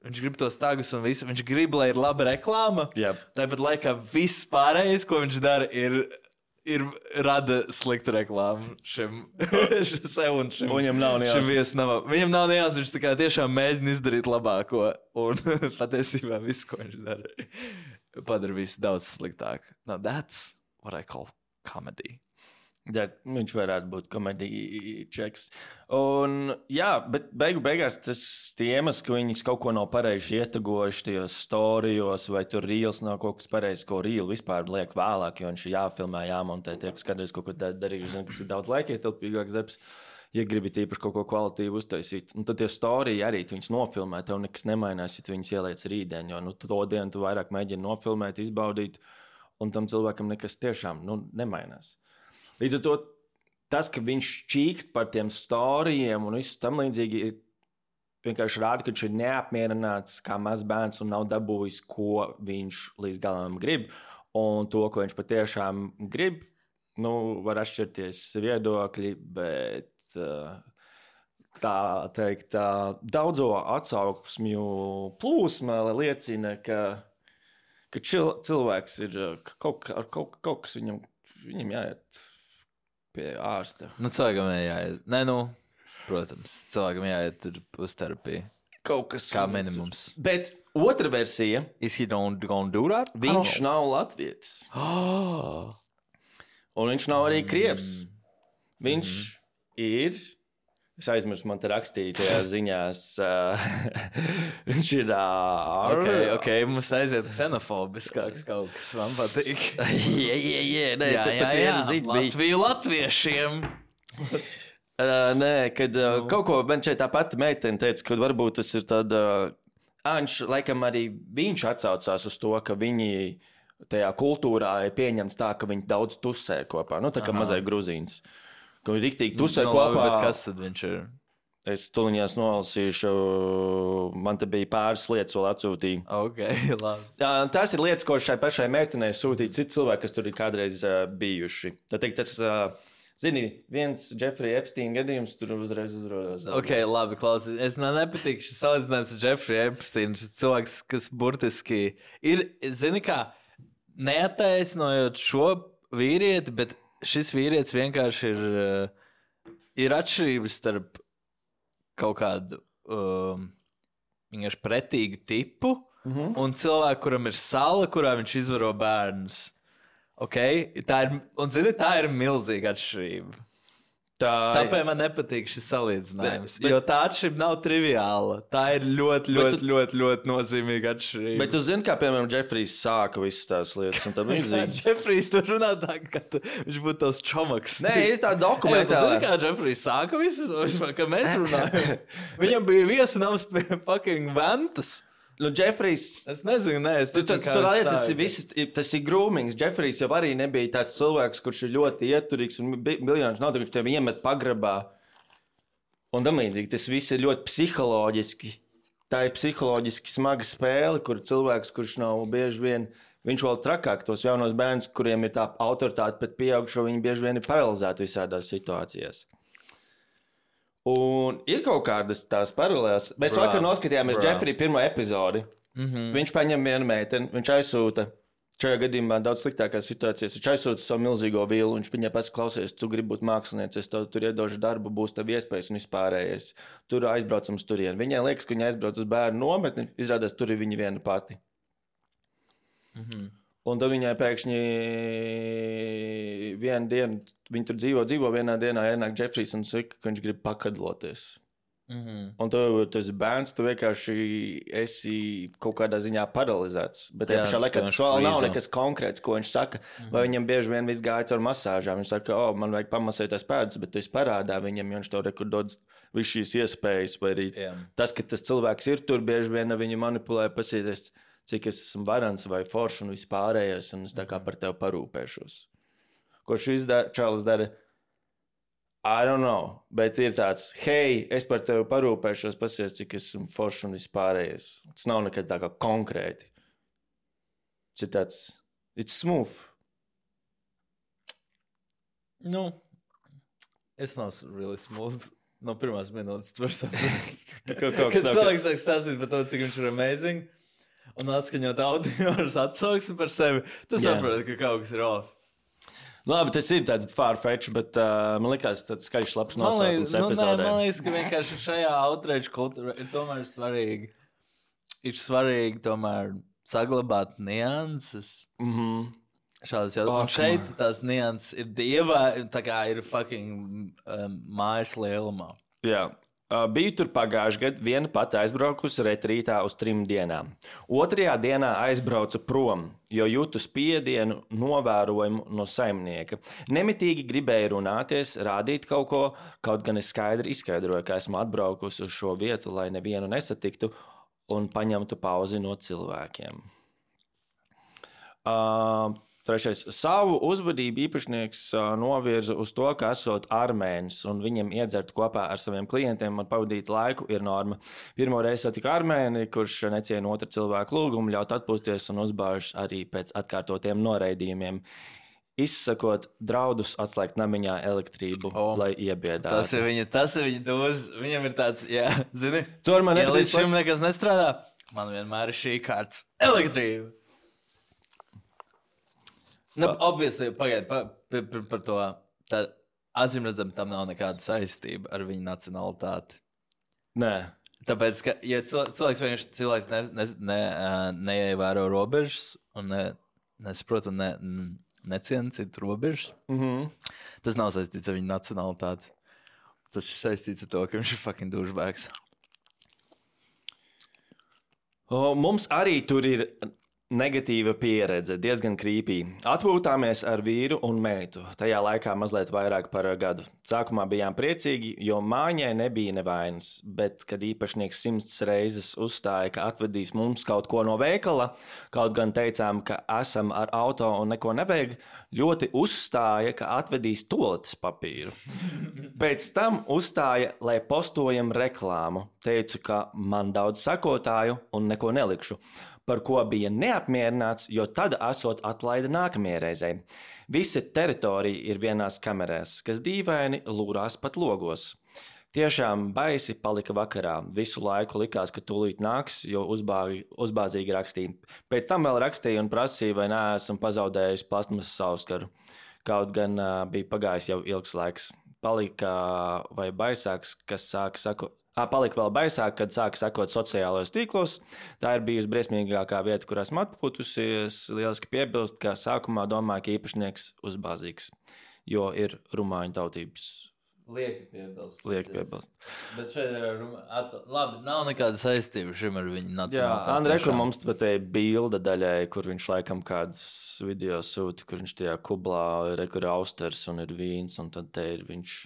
viņš grib tos tagus un visu? Viņš grib, lai ir laba reklāma. Jā. Tāpat laikā viss pārējais, ko viņš dara, ir, ir rada sliktu reklāmu šim sev un šim, Viņam nav šim nejausmas. viesnamam. Viņam nav nejausmas, viņš tā kā tiešām mēģina izdarīt labāko. Un patiesībā viss, ko viņš dara, padara visu daudz sliktāk. Now that's what I call comedy. Jā, viņš varētu būt komēdija čeks. Un, jā, bet beigu beigās tas iemesls, ka viņi kaut ko nav pareizi ietegojuši tajos storijos, vai tur rīls nav kaut kas pareizs, ko rīlu vispār liek vēlāk, jo viņš ir jāfilmē, jāmontē, tie, kas kādreiz kaut ko da- darījuši, zina, tas ir daudz laika ietilpīgāks darbs, ja gribi tīpaši kaut ko kvalitīvu uztaisīt. Un tad tie storiji arī, tu viņus nofilmē, tev nekas nemainās, ja tu viņus ieliec rītdien, jo nu, to dienu tu vairāk mēģini nofilmēt, izbaudīt, un tam cilvēkam nekas tiešām nu, nemainās. Līdz ar to tas, ka viņš čīkst par tiem storijiem un visu tam līdzīgi, ir vienkārši rāda, ka viņš ir neapmierināts kā mazs bērns un nav dabūjis, ko viņš līdz galam grib. Un to, ko viņš patiešām grib, nu, var atšķirties viedokļi, bet uh, tā teikt, tā daudzo atsauksmju plūsma liecina, ka, ka čil, cilvēks ir uh, kaut, ar kaut, kaut kas viņam, viņam jāiet pie ārsta. Nu, cilvēkam jāiet. Nē, nu, protams, cilvēkam jāiet uz terapiju. Kaut kas Kā minimums. Bet otra versija, Is he don't gonna do that? viņš nav latvietis. Oh. Un viņš nav arī krievs. Viņš Mhm. ir, es aizmirsu, man te rakstīja tajā ziņās, uh, viņš ir uh, Ok, ok, mums aiziet ksenofobiskāks kaut kas, man patīk. jā, jā, jā, nē, jā, pat- jā, pat jā, viena ziņa bija. Latviju latviešiem. Uh, nē, kad uh, no. kaut ko man šeit tā pati meitene teica, ka varbūt tas ir tad... Uh, Viņš, laikam, arī viņš atsaucās uz to, ka viņi tajā kultūrā ir pieņemts tā, ka viņi daudz tusē kopā. Nu, tā kā mazai gruzīns. Ka viņi riktīgi tusē no, kopā. Bet kas tad viņš ir? Es tuliņās nolasīšu, man te bija pāris lietas vēl atsūtīja. Ok, labi. Tās ir lietas, ko šai pašai meitenei sūtīja citi cilvēki, kas tur ir kādreiz uh, bijuši. Tā teikt, tas... Uh, Zini, viens Jeffrey Epstein gadījums tur uzreiz uzrodās. Ok, labi, klausies. Es man nepatīk šis salīdzinājums ar Jeffrey Epstein. Šis cilvēks, kas burtiski ir, zini kā, neattaisnojot šo vīrieti, bet šis vīrietis vienkārši ir, ir atšķirības starp kaut kādu um, vienkārši pretīgu tipu mm-hmm. un cilvēku, kuram ir sala, kurā viņš izvaro bērnus. Okay? Tā ir, un, zini, tā ir milzīga atšķirība. Tā... Tāpēc man nepatīk šis salīdzinājums. Bet, bet... Jo tā atšķirība nav triviāla. Tā ir ļoti, ļoti, tu... ļoti, ļoti nozīmīga atšķirība. Bet tu zini, kā, piemēram, Jeffrijs sāka visas tās lietas, un tā viņš zina. Jeffrijs tur runā tā, ka tu, viņš būtu tavs čomaks. Nē, ir tā dokumentāla. Zini, kā Jeffrijs sāka visas tos, ka mēs runājam. Viņam bija viesunams pie fucking Ventas. Nu, Jeffrijs... Es nezinu, nē, es nezinu, kā viņš sāka. Tas ir, viss, tas ir groomings. Jeffrijs jau arī nebija tāds cilvēks, kurš ir ļoti ieturīgs un miljonus nav, kurš tev iemet pagrabā. Un tamlīdzīgi, tas viss ir ļoti psiholoģiski. Tā ir psiholoģiski smaga spēle, kur cilvēks, kurš nav bieži vien, viņš vēl trakāk tos jaunos bērnus, kuriem ir tā autoritāte pret pieaugušo, viņi bieži vien ir paralizēti visādās situācijās. Un ir kaut kādas tās paralēlas. Mēs bra, vakar noskatījāmies Jeffrija pirmo epizodi. Mm-hmm. Viņš paņem vienu meiteni, viņš aizsūta, šajā gadījumā daudz sliktākās situācijas, viņš aizsūta savu milzīgo vilu, viņš viņai pēc klausies, tu gribi būt māksliniecis, es tev tur iedošu darbu, būs tev iespējas un vispārējais. Tur aizbraucam uz turieni. Viņai liekas, ka viņa aizbrauc uz bērnu nometni, izrādās tur ir viņa viena pati. Mm-hmm. Un tad viņai pēkšņi vienu dienu, viņi tur dzīvo, dzīvo vienā dienā, ienāk Jeffrijs un saka, ka viņš grib pakadloties. Mm-hmm. Un tu, tu esi bērns, tu vienkārši esi kaut kādā ziņā paralizēts. Bet jā, pašā laikā tas vēl nav nekas konkrēts, ko viņš saka. Mm-hmm. Vai viņam bieži vien viss gāja caur masāžām. Viņš saka, o, man vajag pamasēties pēdas, bet tu esi parādā viņam, jo viņš tev rekur dod visu šīs iespējas. Vai arī jā. Tas, ka tas cilvēks ir tur, bieži vien viņu manipulē, pasīties, cik es esmu varants vai foršs un vispārējais, un es tā kā par tevi parūpēšos. Ko šis da- čalis dara? I don't know, bet ir tāds, hei, es par tevi parūpēšos, pasies, cik es esmu foršs un vispārējais. Tas nav nekad tā kā konkrēti. Tas ir tāds, it's smooth. Nu, es nav really smooth. No pirmās minūtes tu var saprast. Kad cilvēks sāk stāstīt par to, cik viņš ir amazing, un atskaņot audio ar atsauksmi par sevi, tu yeah. saproti, ka kaut kas ir off. Labi, tas ir tāds far-fetch, bet uh, man liekas, tāds skaļš labs nosaukums nu, epizodē. Man liekas, ka vienkārši šajā outrage kultūrā ir tomēr svarīgi, ir svarīgi tomēr saglabāt nianses. Mhm. Šādas jau. Un šeit tās nianses ir dievā, tā kā ir fucking um, mājas lielumā. Jā. Uh, biju tur pagājuši gadu, viena pati aizbraukusi retrītā uz trim dienām. Otrajā dienā aizbraucu prom, jo jūtu spiedienu novērojumu no saimnieka. Nemitīgi gribēju runāties, rādīt kaut ko, kaut gan es skaidri izskaidroju, ka esmu atbraukusi uz šo vietu, lai nevienu nesatiktu un paņemtu pauzi no cilvēkiem. Uh, Trešais. Savu uzvedību īpašnieks uh, novirza uz to, ka esot armēnis un viņam iedzert kopā ar saviem klientiem un pavadīt laiku ir norma. Pirmo reizi satiku armēni, kurš neciena otru cilvēku lūgumu, ļaut atpūsties un uzbāžas arī pēc atkārtotiem noraidījumiem. Izsakot draudus atslēgt namiņā elektrību, oh, lai iebiedātu. Tas ir viņa, tas ir viņa dos. Viņam ir tāds, jā, zini, tur man ja līdz šim nekas nestrādā, man vienmēr ir šī kārtas elektrība. Nu, obviously, pagaid, pa, pa, pa, par to, tā, acīmredzam, tam nav nekāda saistība ar viņu nacionalitāti. Nē. Tāpēc, ka, ja cilvēks vienkārši cilvēks ne, ne, ne, neievēro robežas un ne, nesaprot un ne, neciena citu robežas, mm-hmm. tas nav saistīts ar viņu nacionalitāti. Tas ir saistīts ar to, ka viņš ir fucking douchebags. O, mums arī tur ir... Negatīva pieredze, diezgan krīpī. Atpūtāmies ar vīru un meitu. Tajā laikā mazliet vairāk par gadu. Sākumā bijām priecīgi, jo māņai nebija nevainas, bet, kad īpašnieks simts reizes uzstāja, ka atvedīs mums kaut ko no veikala, kaut gan teicām, ka esam ar auto un neko nevajag, ļoti uzstāja, ka atvedīs toaletes papīru. Pēc tam uzstāja, lai postojam reklāmu. Teicu, ka man daudz sakotāju un neko nelikšu. Par ko bija neapmierināts, jo tad esot atlaida nākamajai reizei. Visa teritorija ir vienās kamerās, kas dīvaini lūrās pat logos. Tiešām baisi palika vakarā. Visu laiku likās, ka tūlīt nāks, jo uzbāgi, uzbāzīgi rakstīja. Pēc tam vēl rakstīja un prasīja, vai neesmu pazaudējis plasmasas sauskaru. Kaut gan uh, bija pagājis jau ilgs laiks. Palika vai baisāks, kas sāka sakot. À, palika vēl baisāk, kad sāka sekot sociālajos tīklos. Tā ir bijusi briesmīgākā vieta, kur esmu atpūtusies. Lieliski piebilst, ka sākumā domāju, ka īpašnieks uzbāzīgs, jo ir rumāņu tautības. Lieki piebilst. Lieki piebilst. Bet šeit ir atkal, labi, nav nekāda saistība šim ar viņu nacionālitāti. Jā, Andrei, kur mums pat ir bilde daļai, kur viņš laikam kādas video sūta, kur viņš tajā kublā ir, kur ir austers un ir vīns, un tad te ir viņš...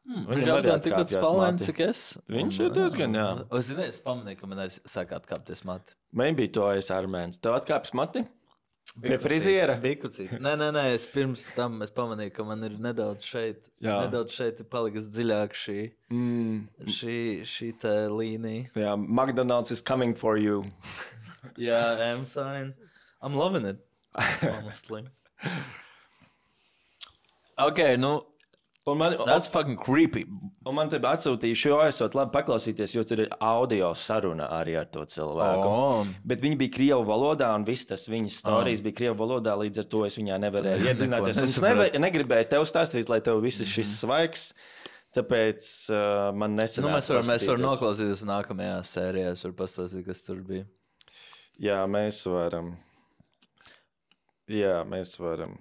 Hmm, viņš ir aptuveni tikpat spalvains, cik es. Viņš ir diezgan, jā. Es zinu, es pamanīju, ka man arī sāk atkāpties mati. Maybe to es armēns. Tev atkāpjas mati? Pie friziera? Bikucī. Nē, nē, nē, es pirms tam es pamanīju, ka man ir nedaudz šeit, jā. nedaudz šeit palikas dziļāk šī, mm. šī, šī tā līnija. Jā, McDonald's is coming for you. Jā, I'm fine. I'm loving it, honestly. Ok, nu... Man, That's fucking creepy. Un man te atsūtīja šo, esot labi paklausīties, jo tur ir audio saruna arī ar to cilvēku. Oh. Bet viņi bija krievu valodā, un viss tas viņas storijas oh. bija krievu valodā, līdz ar to es viņā nevarēju iedzināties. Es neve, negribēju tev stāstīt, lai tev viss šis svaigs, tāpēc uh, man nesanāca. Nu, mēs varam, mēs varam noklausīties nākamajā sērijā, es varu pastāstīt, kas tur bija. Jā, mēs varam. Jā, mēs varam.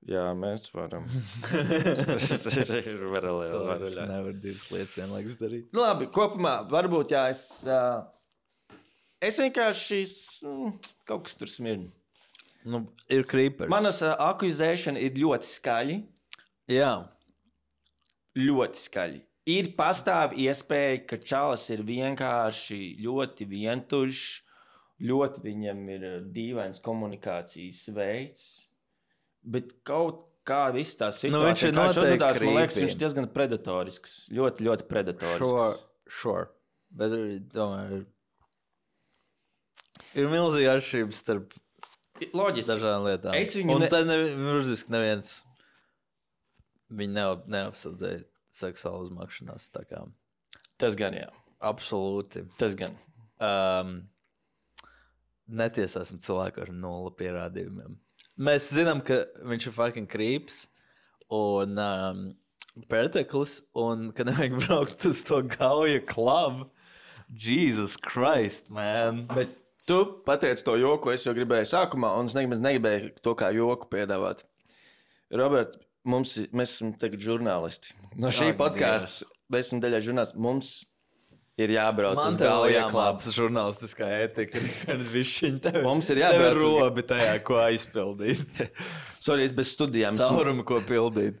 Jā, mēs varam. Tas ir varalē. Es nevaru divas lietas vienlaikus darīt. Nu, labi, kopumā varbūt, jā, es... Uh, es vienkārši šīs... Mm, kaut kas tur smirna. Nu, ir creepers. Manas uh, akuzēšana ir ļoti skaļi. Jā. Ļoti skaļi. Ir pastāv iespēja, ka čalis ir vienkārši ļoti vientuļš, ļoti viņam ir dīvains komunikācijas veids. Bet kaut kā viss tā situācija, nu, viņš ir kā viņš uzvedās, man liekas, creepy. viņš ir diezgan predatorisks. Ļoti, ļoti predatorisks. Sure, sure. Bet tomēr ir milzīga atšķirība starp Loģiski. dažādām lietām. Es viņu Un ne... tad nevirziski neviens viņu neap, neapsaudzēja seksuālu uzmakšanās. Tā kā. Tas gan, jā. Absolūti. Tas gan. Um, netiesāsim cilvēku ar nula pierādījumiem. Mēs zinām, ka viņš ir fucking creeps un um, perteklis, un ka nevajag braukt uz to gauja klubu. Jesus Christ, man. Bet tu pateici to joku, es jau gribēju sākumā, un es nemaz negribēju to kā joku piedāvāt. Robert, mums, mēs esam tagad žurnālisti. No šī Ak, podcasts, mēs esam daļai žurnālisti. Mums ir jābrauc Man uz gauja klubu. Man tev žurnālistiskā etika. Mums ir jābrauc. Tev ir robi tajā, ko aizpildīt. Sorry, es bez studijām. Caurumu, ko pildīt.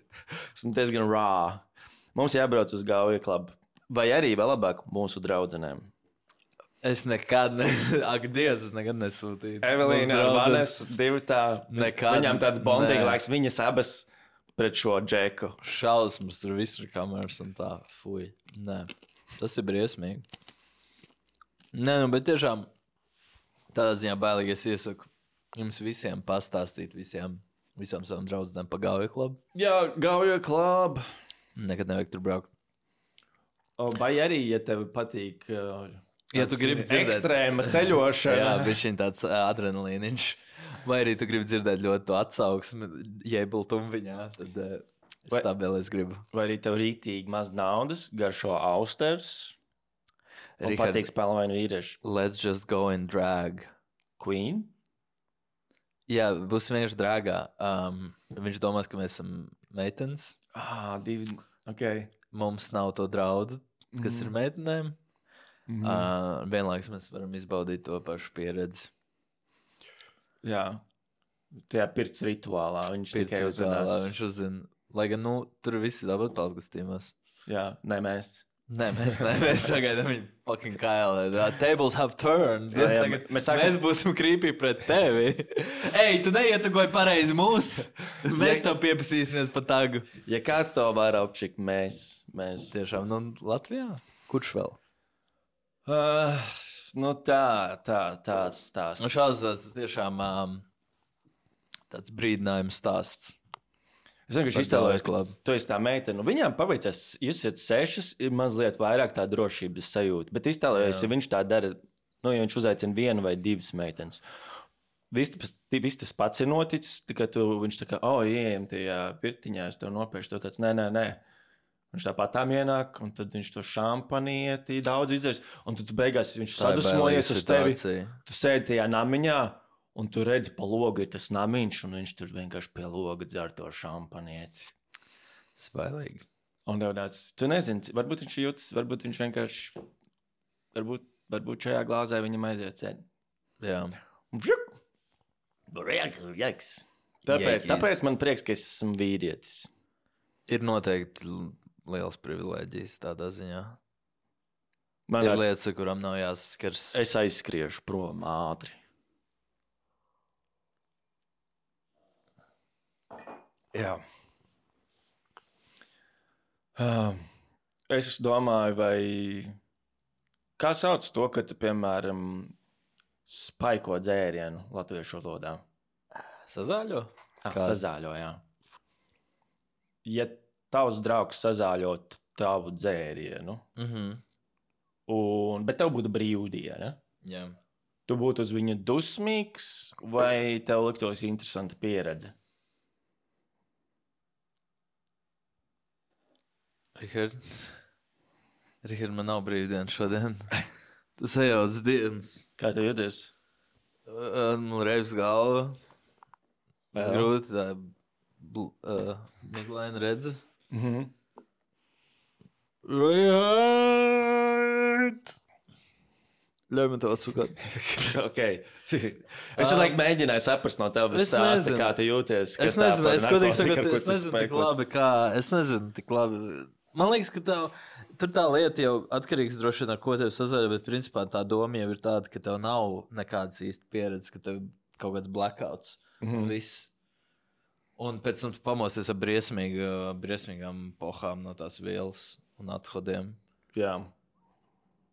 Esmu diezgan raw. Mums jābrauc uz gauja klubu. Vai arī vēl labāk mūsu draudzenēm. Es nekad, ne... ak, Dievs, es nekad nesūtīju. Evelīna un Vanes, divi tā. Nekad. Viņām tāds bonding laiks, viņas abas pret šo džeku. Šausmas, tur viss ir kameras un tā. Fuj, nē. Tas ir briesmīgi. Nē, nu, bet tiešām tādā ziņā bailīgi es iesaku jums visiem pastāstīt visiem, visām savām draudzenēm pa gauja klubu. Jā, gauja klubu. Nekad nevajag tur braukt. Vai arī, ja tev patīk uh, ja tu gribi dzirdēt ekstrēma ceļošana. Jā, bet šī tāds uh, adrenalīniņš. Vai arī tu gribi dzirdēt ļoti to atsauksmi, jebultumu viņā, tad... Uh, Stabili es gribu. Vai arī tev rītīgi maz naudas, garšo austers un Richard, patīk spēlvainu vīrieši? Let's just go and drag. Queen? Jā, būs vienkārši drāgā. Um, viņš domās, ka mēs esam meitenes. Ah, divi, ok. Mums nav to draudu, kas mm. ir meitenēm. Mm. Uh, vienlaikus mēs varam izbaudīt to pašu pieredzi. Jā. Tajā pirts rituālā viņš pirts tikai uzzinās. Rituālā viņš uzzina. Lai gan, nu, tur visi dabūt palgastīmos. Jā, ne mēs. Nē, mēs, ne, mēs sagaidām viņu fucking kailē. The tables have turned. Jā, jā, Tagad, mēs, sākam... mēs būsim creepy pret tevi. Ej, tu neietugoji pareizi mūs. Mēs tev pieprasīsimies pa tagu. Ja kāds to var apčikt, mēs, mēs. Tiešām, nu, Latvijā? Kurš vēl? Uh, nu tā, tā, tāds stāsts. Nu, šāds tas tiešām um, tāds brīdinājums stāsts. Es vienkārši iztēlojos, ka tu esi tā meitene. Nu, viņām paveicās, jūs esat sešas, ir mazliet vairāk tā drošības sajūta. Bet iztēlojos, ja viņš tā dara, nu, ja viņš uzaicina vienu vai divas meitenes. Viss tas, vis tas pats ir noticis, tikai tu, viņš tā kā, o, oh, ieejam tajā pirtiņā, es tev nopēršu, tu tāds, nē, nē, nē. Viņš tāpat tam ienāk, un tad viņš to šampanieti daudz izdarīs. Un tad tu beigās viņš sadusmojies uz tevi. Tu sēdi tajā namiņā. Un tu redzi, pa logu ir tas namiņš, un viņš tur vienkārši pie loga dzer to šampanieti. Svailīgi. Un tev tāds, tu nezini, varbūt viņš jūtas, varbūt viņš vienkārši, varbūt, varbūt šajā glāzē viņam aiziet cēni. Jā. Jeks. Tāpēc, tāpēc man prieks, ka es esmu vīrietis. Ir noteikti liels privilēģijas tādā ziņā. Man ir tāds, lietas, ar kurām nav jāsaskars. Es aizskriešu prom ātri. Jā. Uh, es domāju, vai kā sauc to, ka tu, piemēram, spaiko dzērienu latviešu valodā? Sazāļo? Ah, sazāļo, jā. Ja tavs draugs sazāļot tavu dzērienu, mm-hmm. un, bet tev būtu brīvdiena, jā. Tu būtu uz viņu dusmīgs, vai tev liktos interesanta pieredze? Richard, Richard, man nav brīvdiena šodien. Tas ejauts dienas. Kā tu jūties? Man reiz galva. Grūti tā bl- uh, miglaina redze. Mhm. Richard! Ļauj man to atsukāt. Ok. Es laikam mēģināju saprast no tevis stāsta, kā tu jūties. Es nezinu, es godīgi sakot, es nezinu tik labi, kā, es nezinu tik labi. Man liekas, ka tā, tur tā lieta jau atkarīgs droši vien ar ko tev sazāļo, bet principā tā doma jau ir tāda, ka tev nav nekādas īsti pieredzes, ka tev kaut kāds blackouts Mhm. un viss. Un pēc tam tu pamosties ar briesmīgu, briesmīgām pohām no tās vielas un athodiem. Jā.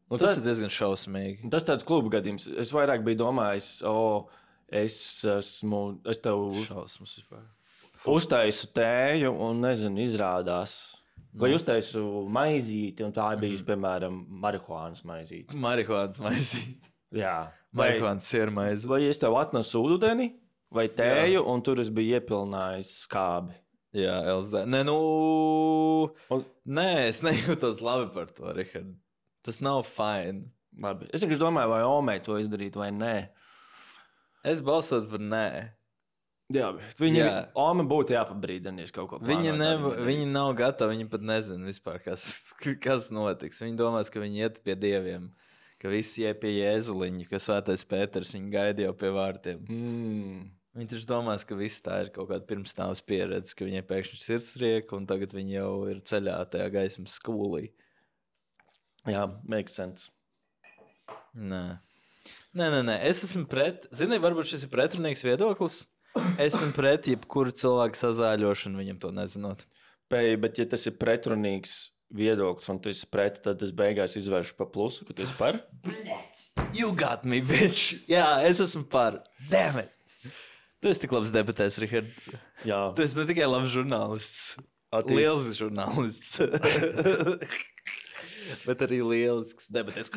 Nu, tas, tas ir diezgan šausmīgi. Tas tāds klubu gadījums. Es vairāk biju domājis, o, es esmu, es tev uz, Šausmas vispār. uztaisu tēju un, nezinu, izrādās. Vai uztaisu maizīti, un tā bija, piemēram, marihuānas maizīti. Marihuānas maizīt. Jā. Vai, Marihuānas siermaizi. vai es tev atnesu ūdeni vai tēju, un tur es biju iepilnājis skābi. Jā, L S D. Nē, nu... Un- Nē, es nejūtos labi par to, Richard. Tas nav fine. Labi. Es vienkārši domāju, vai Omei to izdarīt vai nē. Es balsos par nē. Jā, bet viņi, Jā. Ome būtu jāpabrīdinies kaut ko. Viņi, plānot nev, arī. viņi nav gatavi, viņi pat nezina vispār, kas, kas notiks. Viņi domās, ka viņi iet pie dieviem, ka visi iet pie Jēzuliņa, ka svētais Pēters viņu gaida jau pie vārtiem. Mm. Viņi taču domās, ka viss tā ir kaut kāda pirmsnāvas pieredze, ka viņiem pēkšņi sirdstrieka, un tagad viņi jau ir ceļā tajā gaismas skolī. Jā, makes sense. Nē. Nē, nē, nē, es esmu pret, zini, varbūt šis ir pretrunīgs viedoklis. Es esmu pret jebkuru cilvēku sazāļošanu, viņam to nezinot. Pēj, bet ja tas ir pretrunīgs viedoklis, un tu esi pret, tad es beigās izvēršu pa plusu, ka tu esi par. You got me, bitch! Jā, es esmu par. Damn it! Tu esi tik labs debatēs, Richard. Jā. Tu esi ne tikai labs žurnālists, Attīst- liels žurnālists, bet arī lielisks debatēs.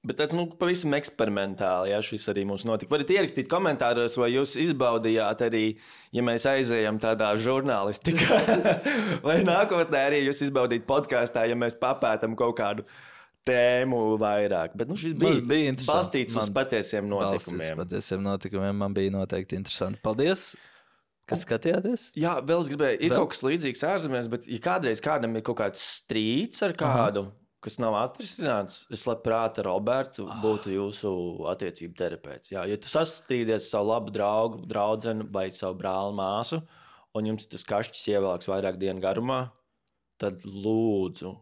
Bet tāds, nu, pavisam eksperimentāli, jā, šis arī mums notika. Varat ierakstīt komentāros, vai jūs izbaudījāt arī, ja mēs aizējam tādā žurnālistikā, vai nākotnē arī jūs izbaudīt podkāstā, ja mēs papētam kaut kādu tēmu vairāk. Bet, nu, šis bija, Man bija interesanti. balstīts uz Man patiesiem Balstīts notikumiem. patiesiem notikumiem, man bija noteikti interesanti. Paldies, kas skatījāties? Jā, vēl es gribēju, ir Vēl? kaut kas līdzīgs ārzemēs, bet ja kādreiz kādam ir kaut kāds strīds ar kādu, kas nav atrisināts, es labprāt ar Robertu būtu jūsu attiecību terapeits. Jā, ja tu sastrīdies savu labu draugu, draudzeni vai savu brāli māsu, un jums tas kašķis ievelks vairāk dienu garumā, tad lūdzu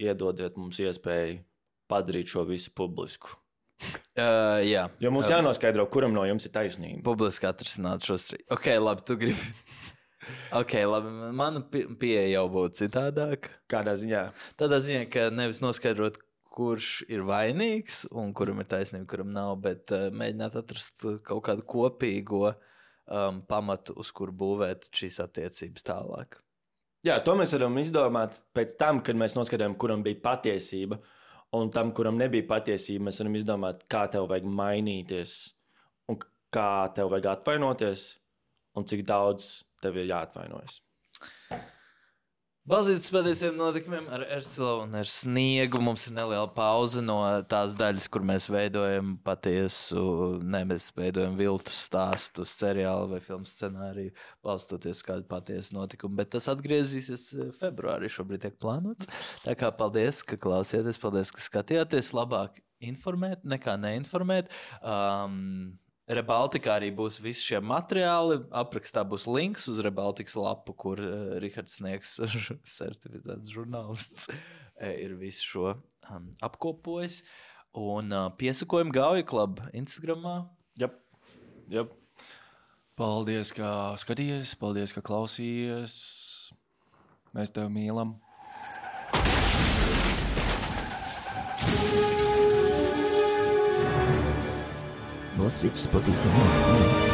iedodiet mums iespēju padarīt šo visu publisku. Uh, jā. Jo mums uh, jānoskaidro, kuram no jums ir taisnība. Publiski atrisināt šo strīdu. Ok, labi, tu gribi. Ok, labi, mana pieeja jau būtu citādāk. Kādā ziņā? Tādā ziņā, ka nevis noskaidrot, kurš ir vainīgs un kuram ir taisnība, kuram nav, bet uh, mēģināt atrast kaut kādu kopīgo um, pamatu, uz kuru būvēt šīs attiecības tālāk. Jā, to mēs varam izdomāt pēc tam, kad mēs noskatījām, kuram bija patiesība. Un tam, kuram nebija patiesība, mēs varam izdomāt, kā tev vajag mainīties, un kā tev vajag atvainoties, un cik daudz tev ir jāatvainojas. Balzītas patiesiem notikumiem ar Ercilu un ar Sniegu. Mums ir neliela pauze no tās daļas, kur mēs veidojam patiesu, ne, mēs veidojam viltus stāstu, seriālu vai filmu scenāriju, balstoties kādu patiesu notikumu. Bet tas atgriezīsies februārī, šobrīd tiek plānots. Tā kā paldies, ka klausieties, paldies, ka skatījāties. Labāk informēt nekā neinformēt. Um, Rebaltikā arī būs visi šie materiāli. Aprakstā būs links uz Rebaltikas lapu, kur uh, Rihards Sniegs, certificēts žurnālists, ir visu šo um, apkopojis. Un uh, piesakojam Gauja Club Instagramā. Jep, jep. Paldies, ka skatījies, paldies, ka klausījies. Mēs tev mīlam. Noslīdus patīsim notikumiem.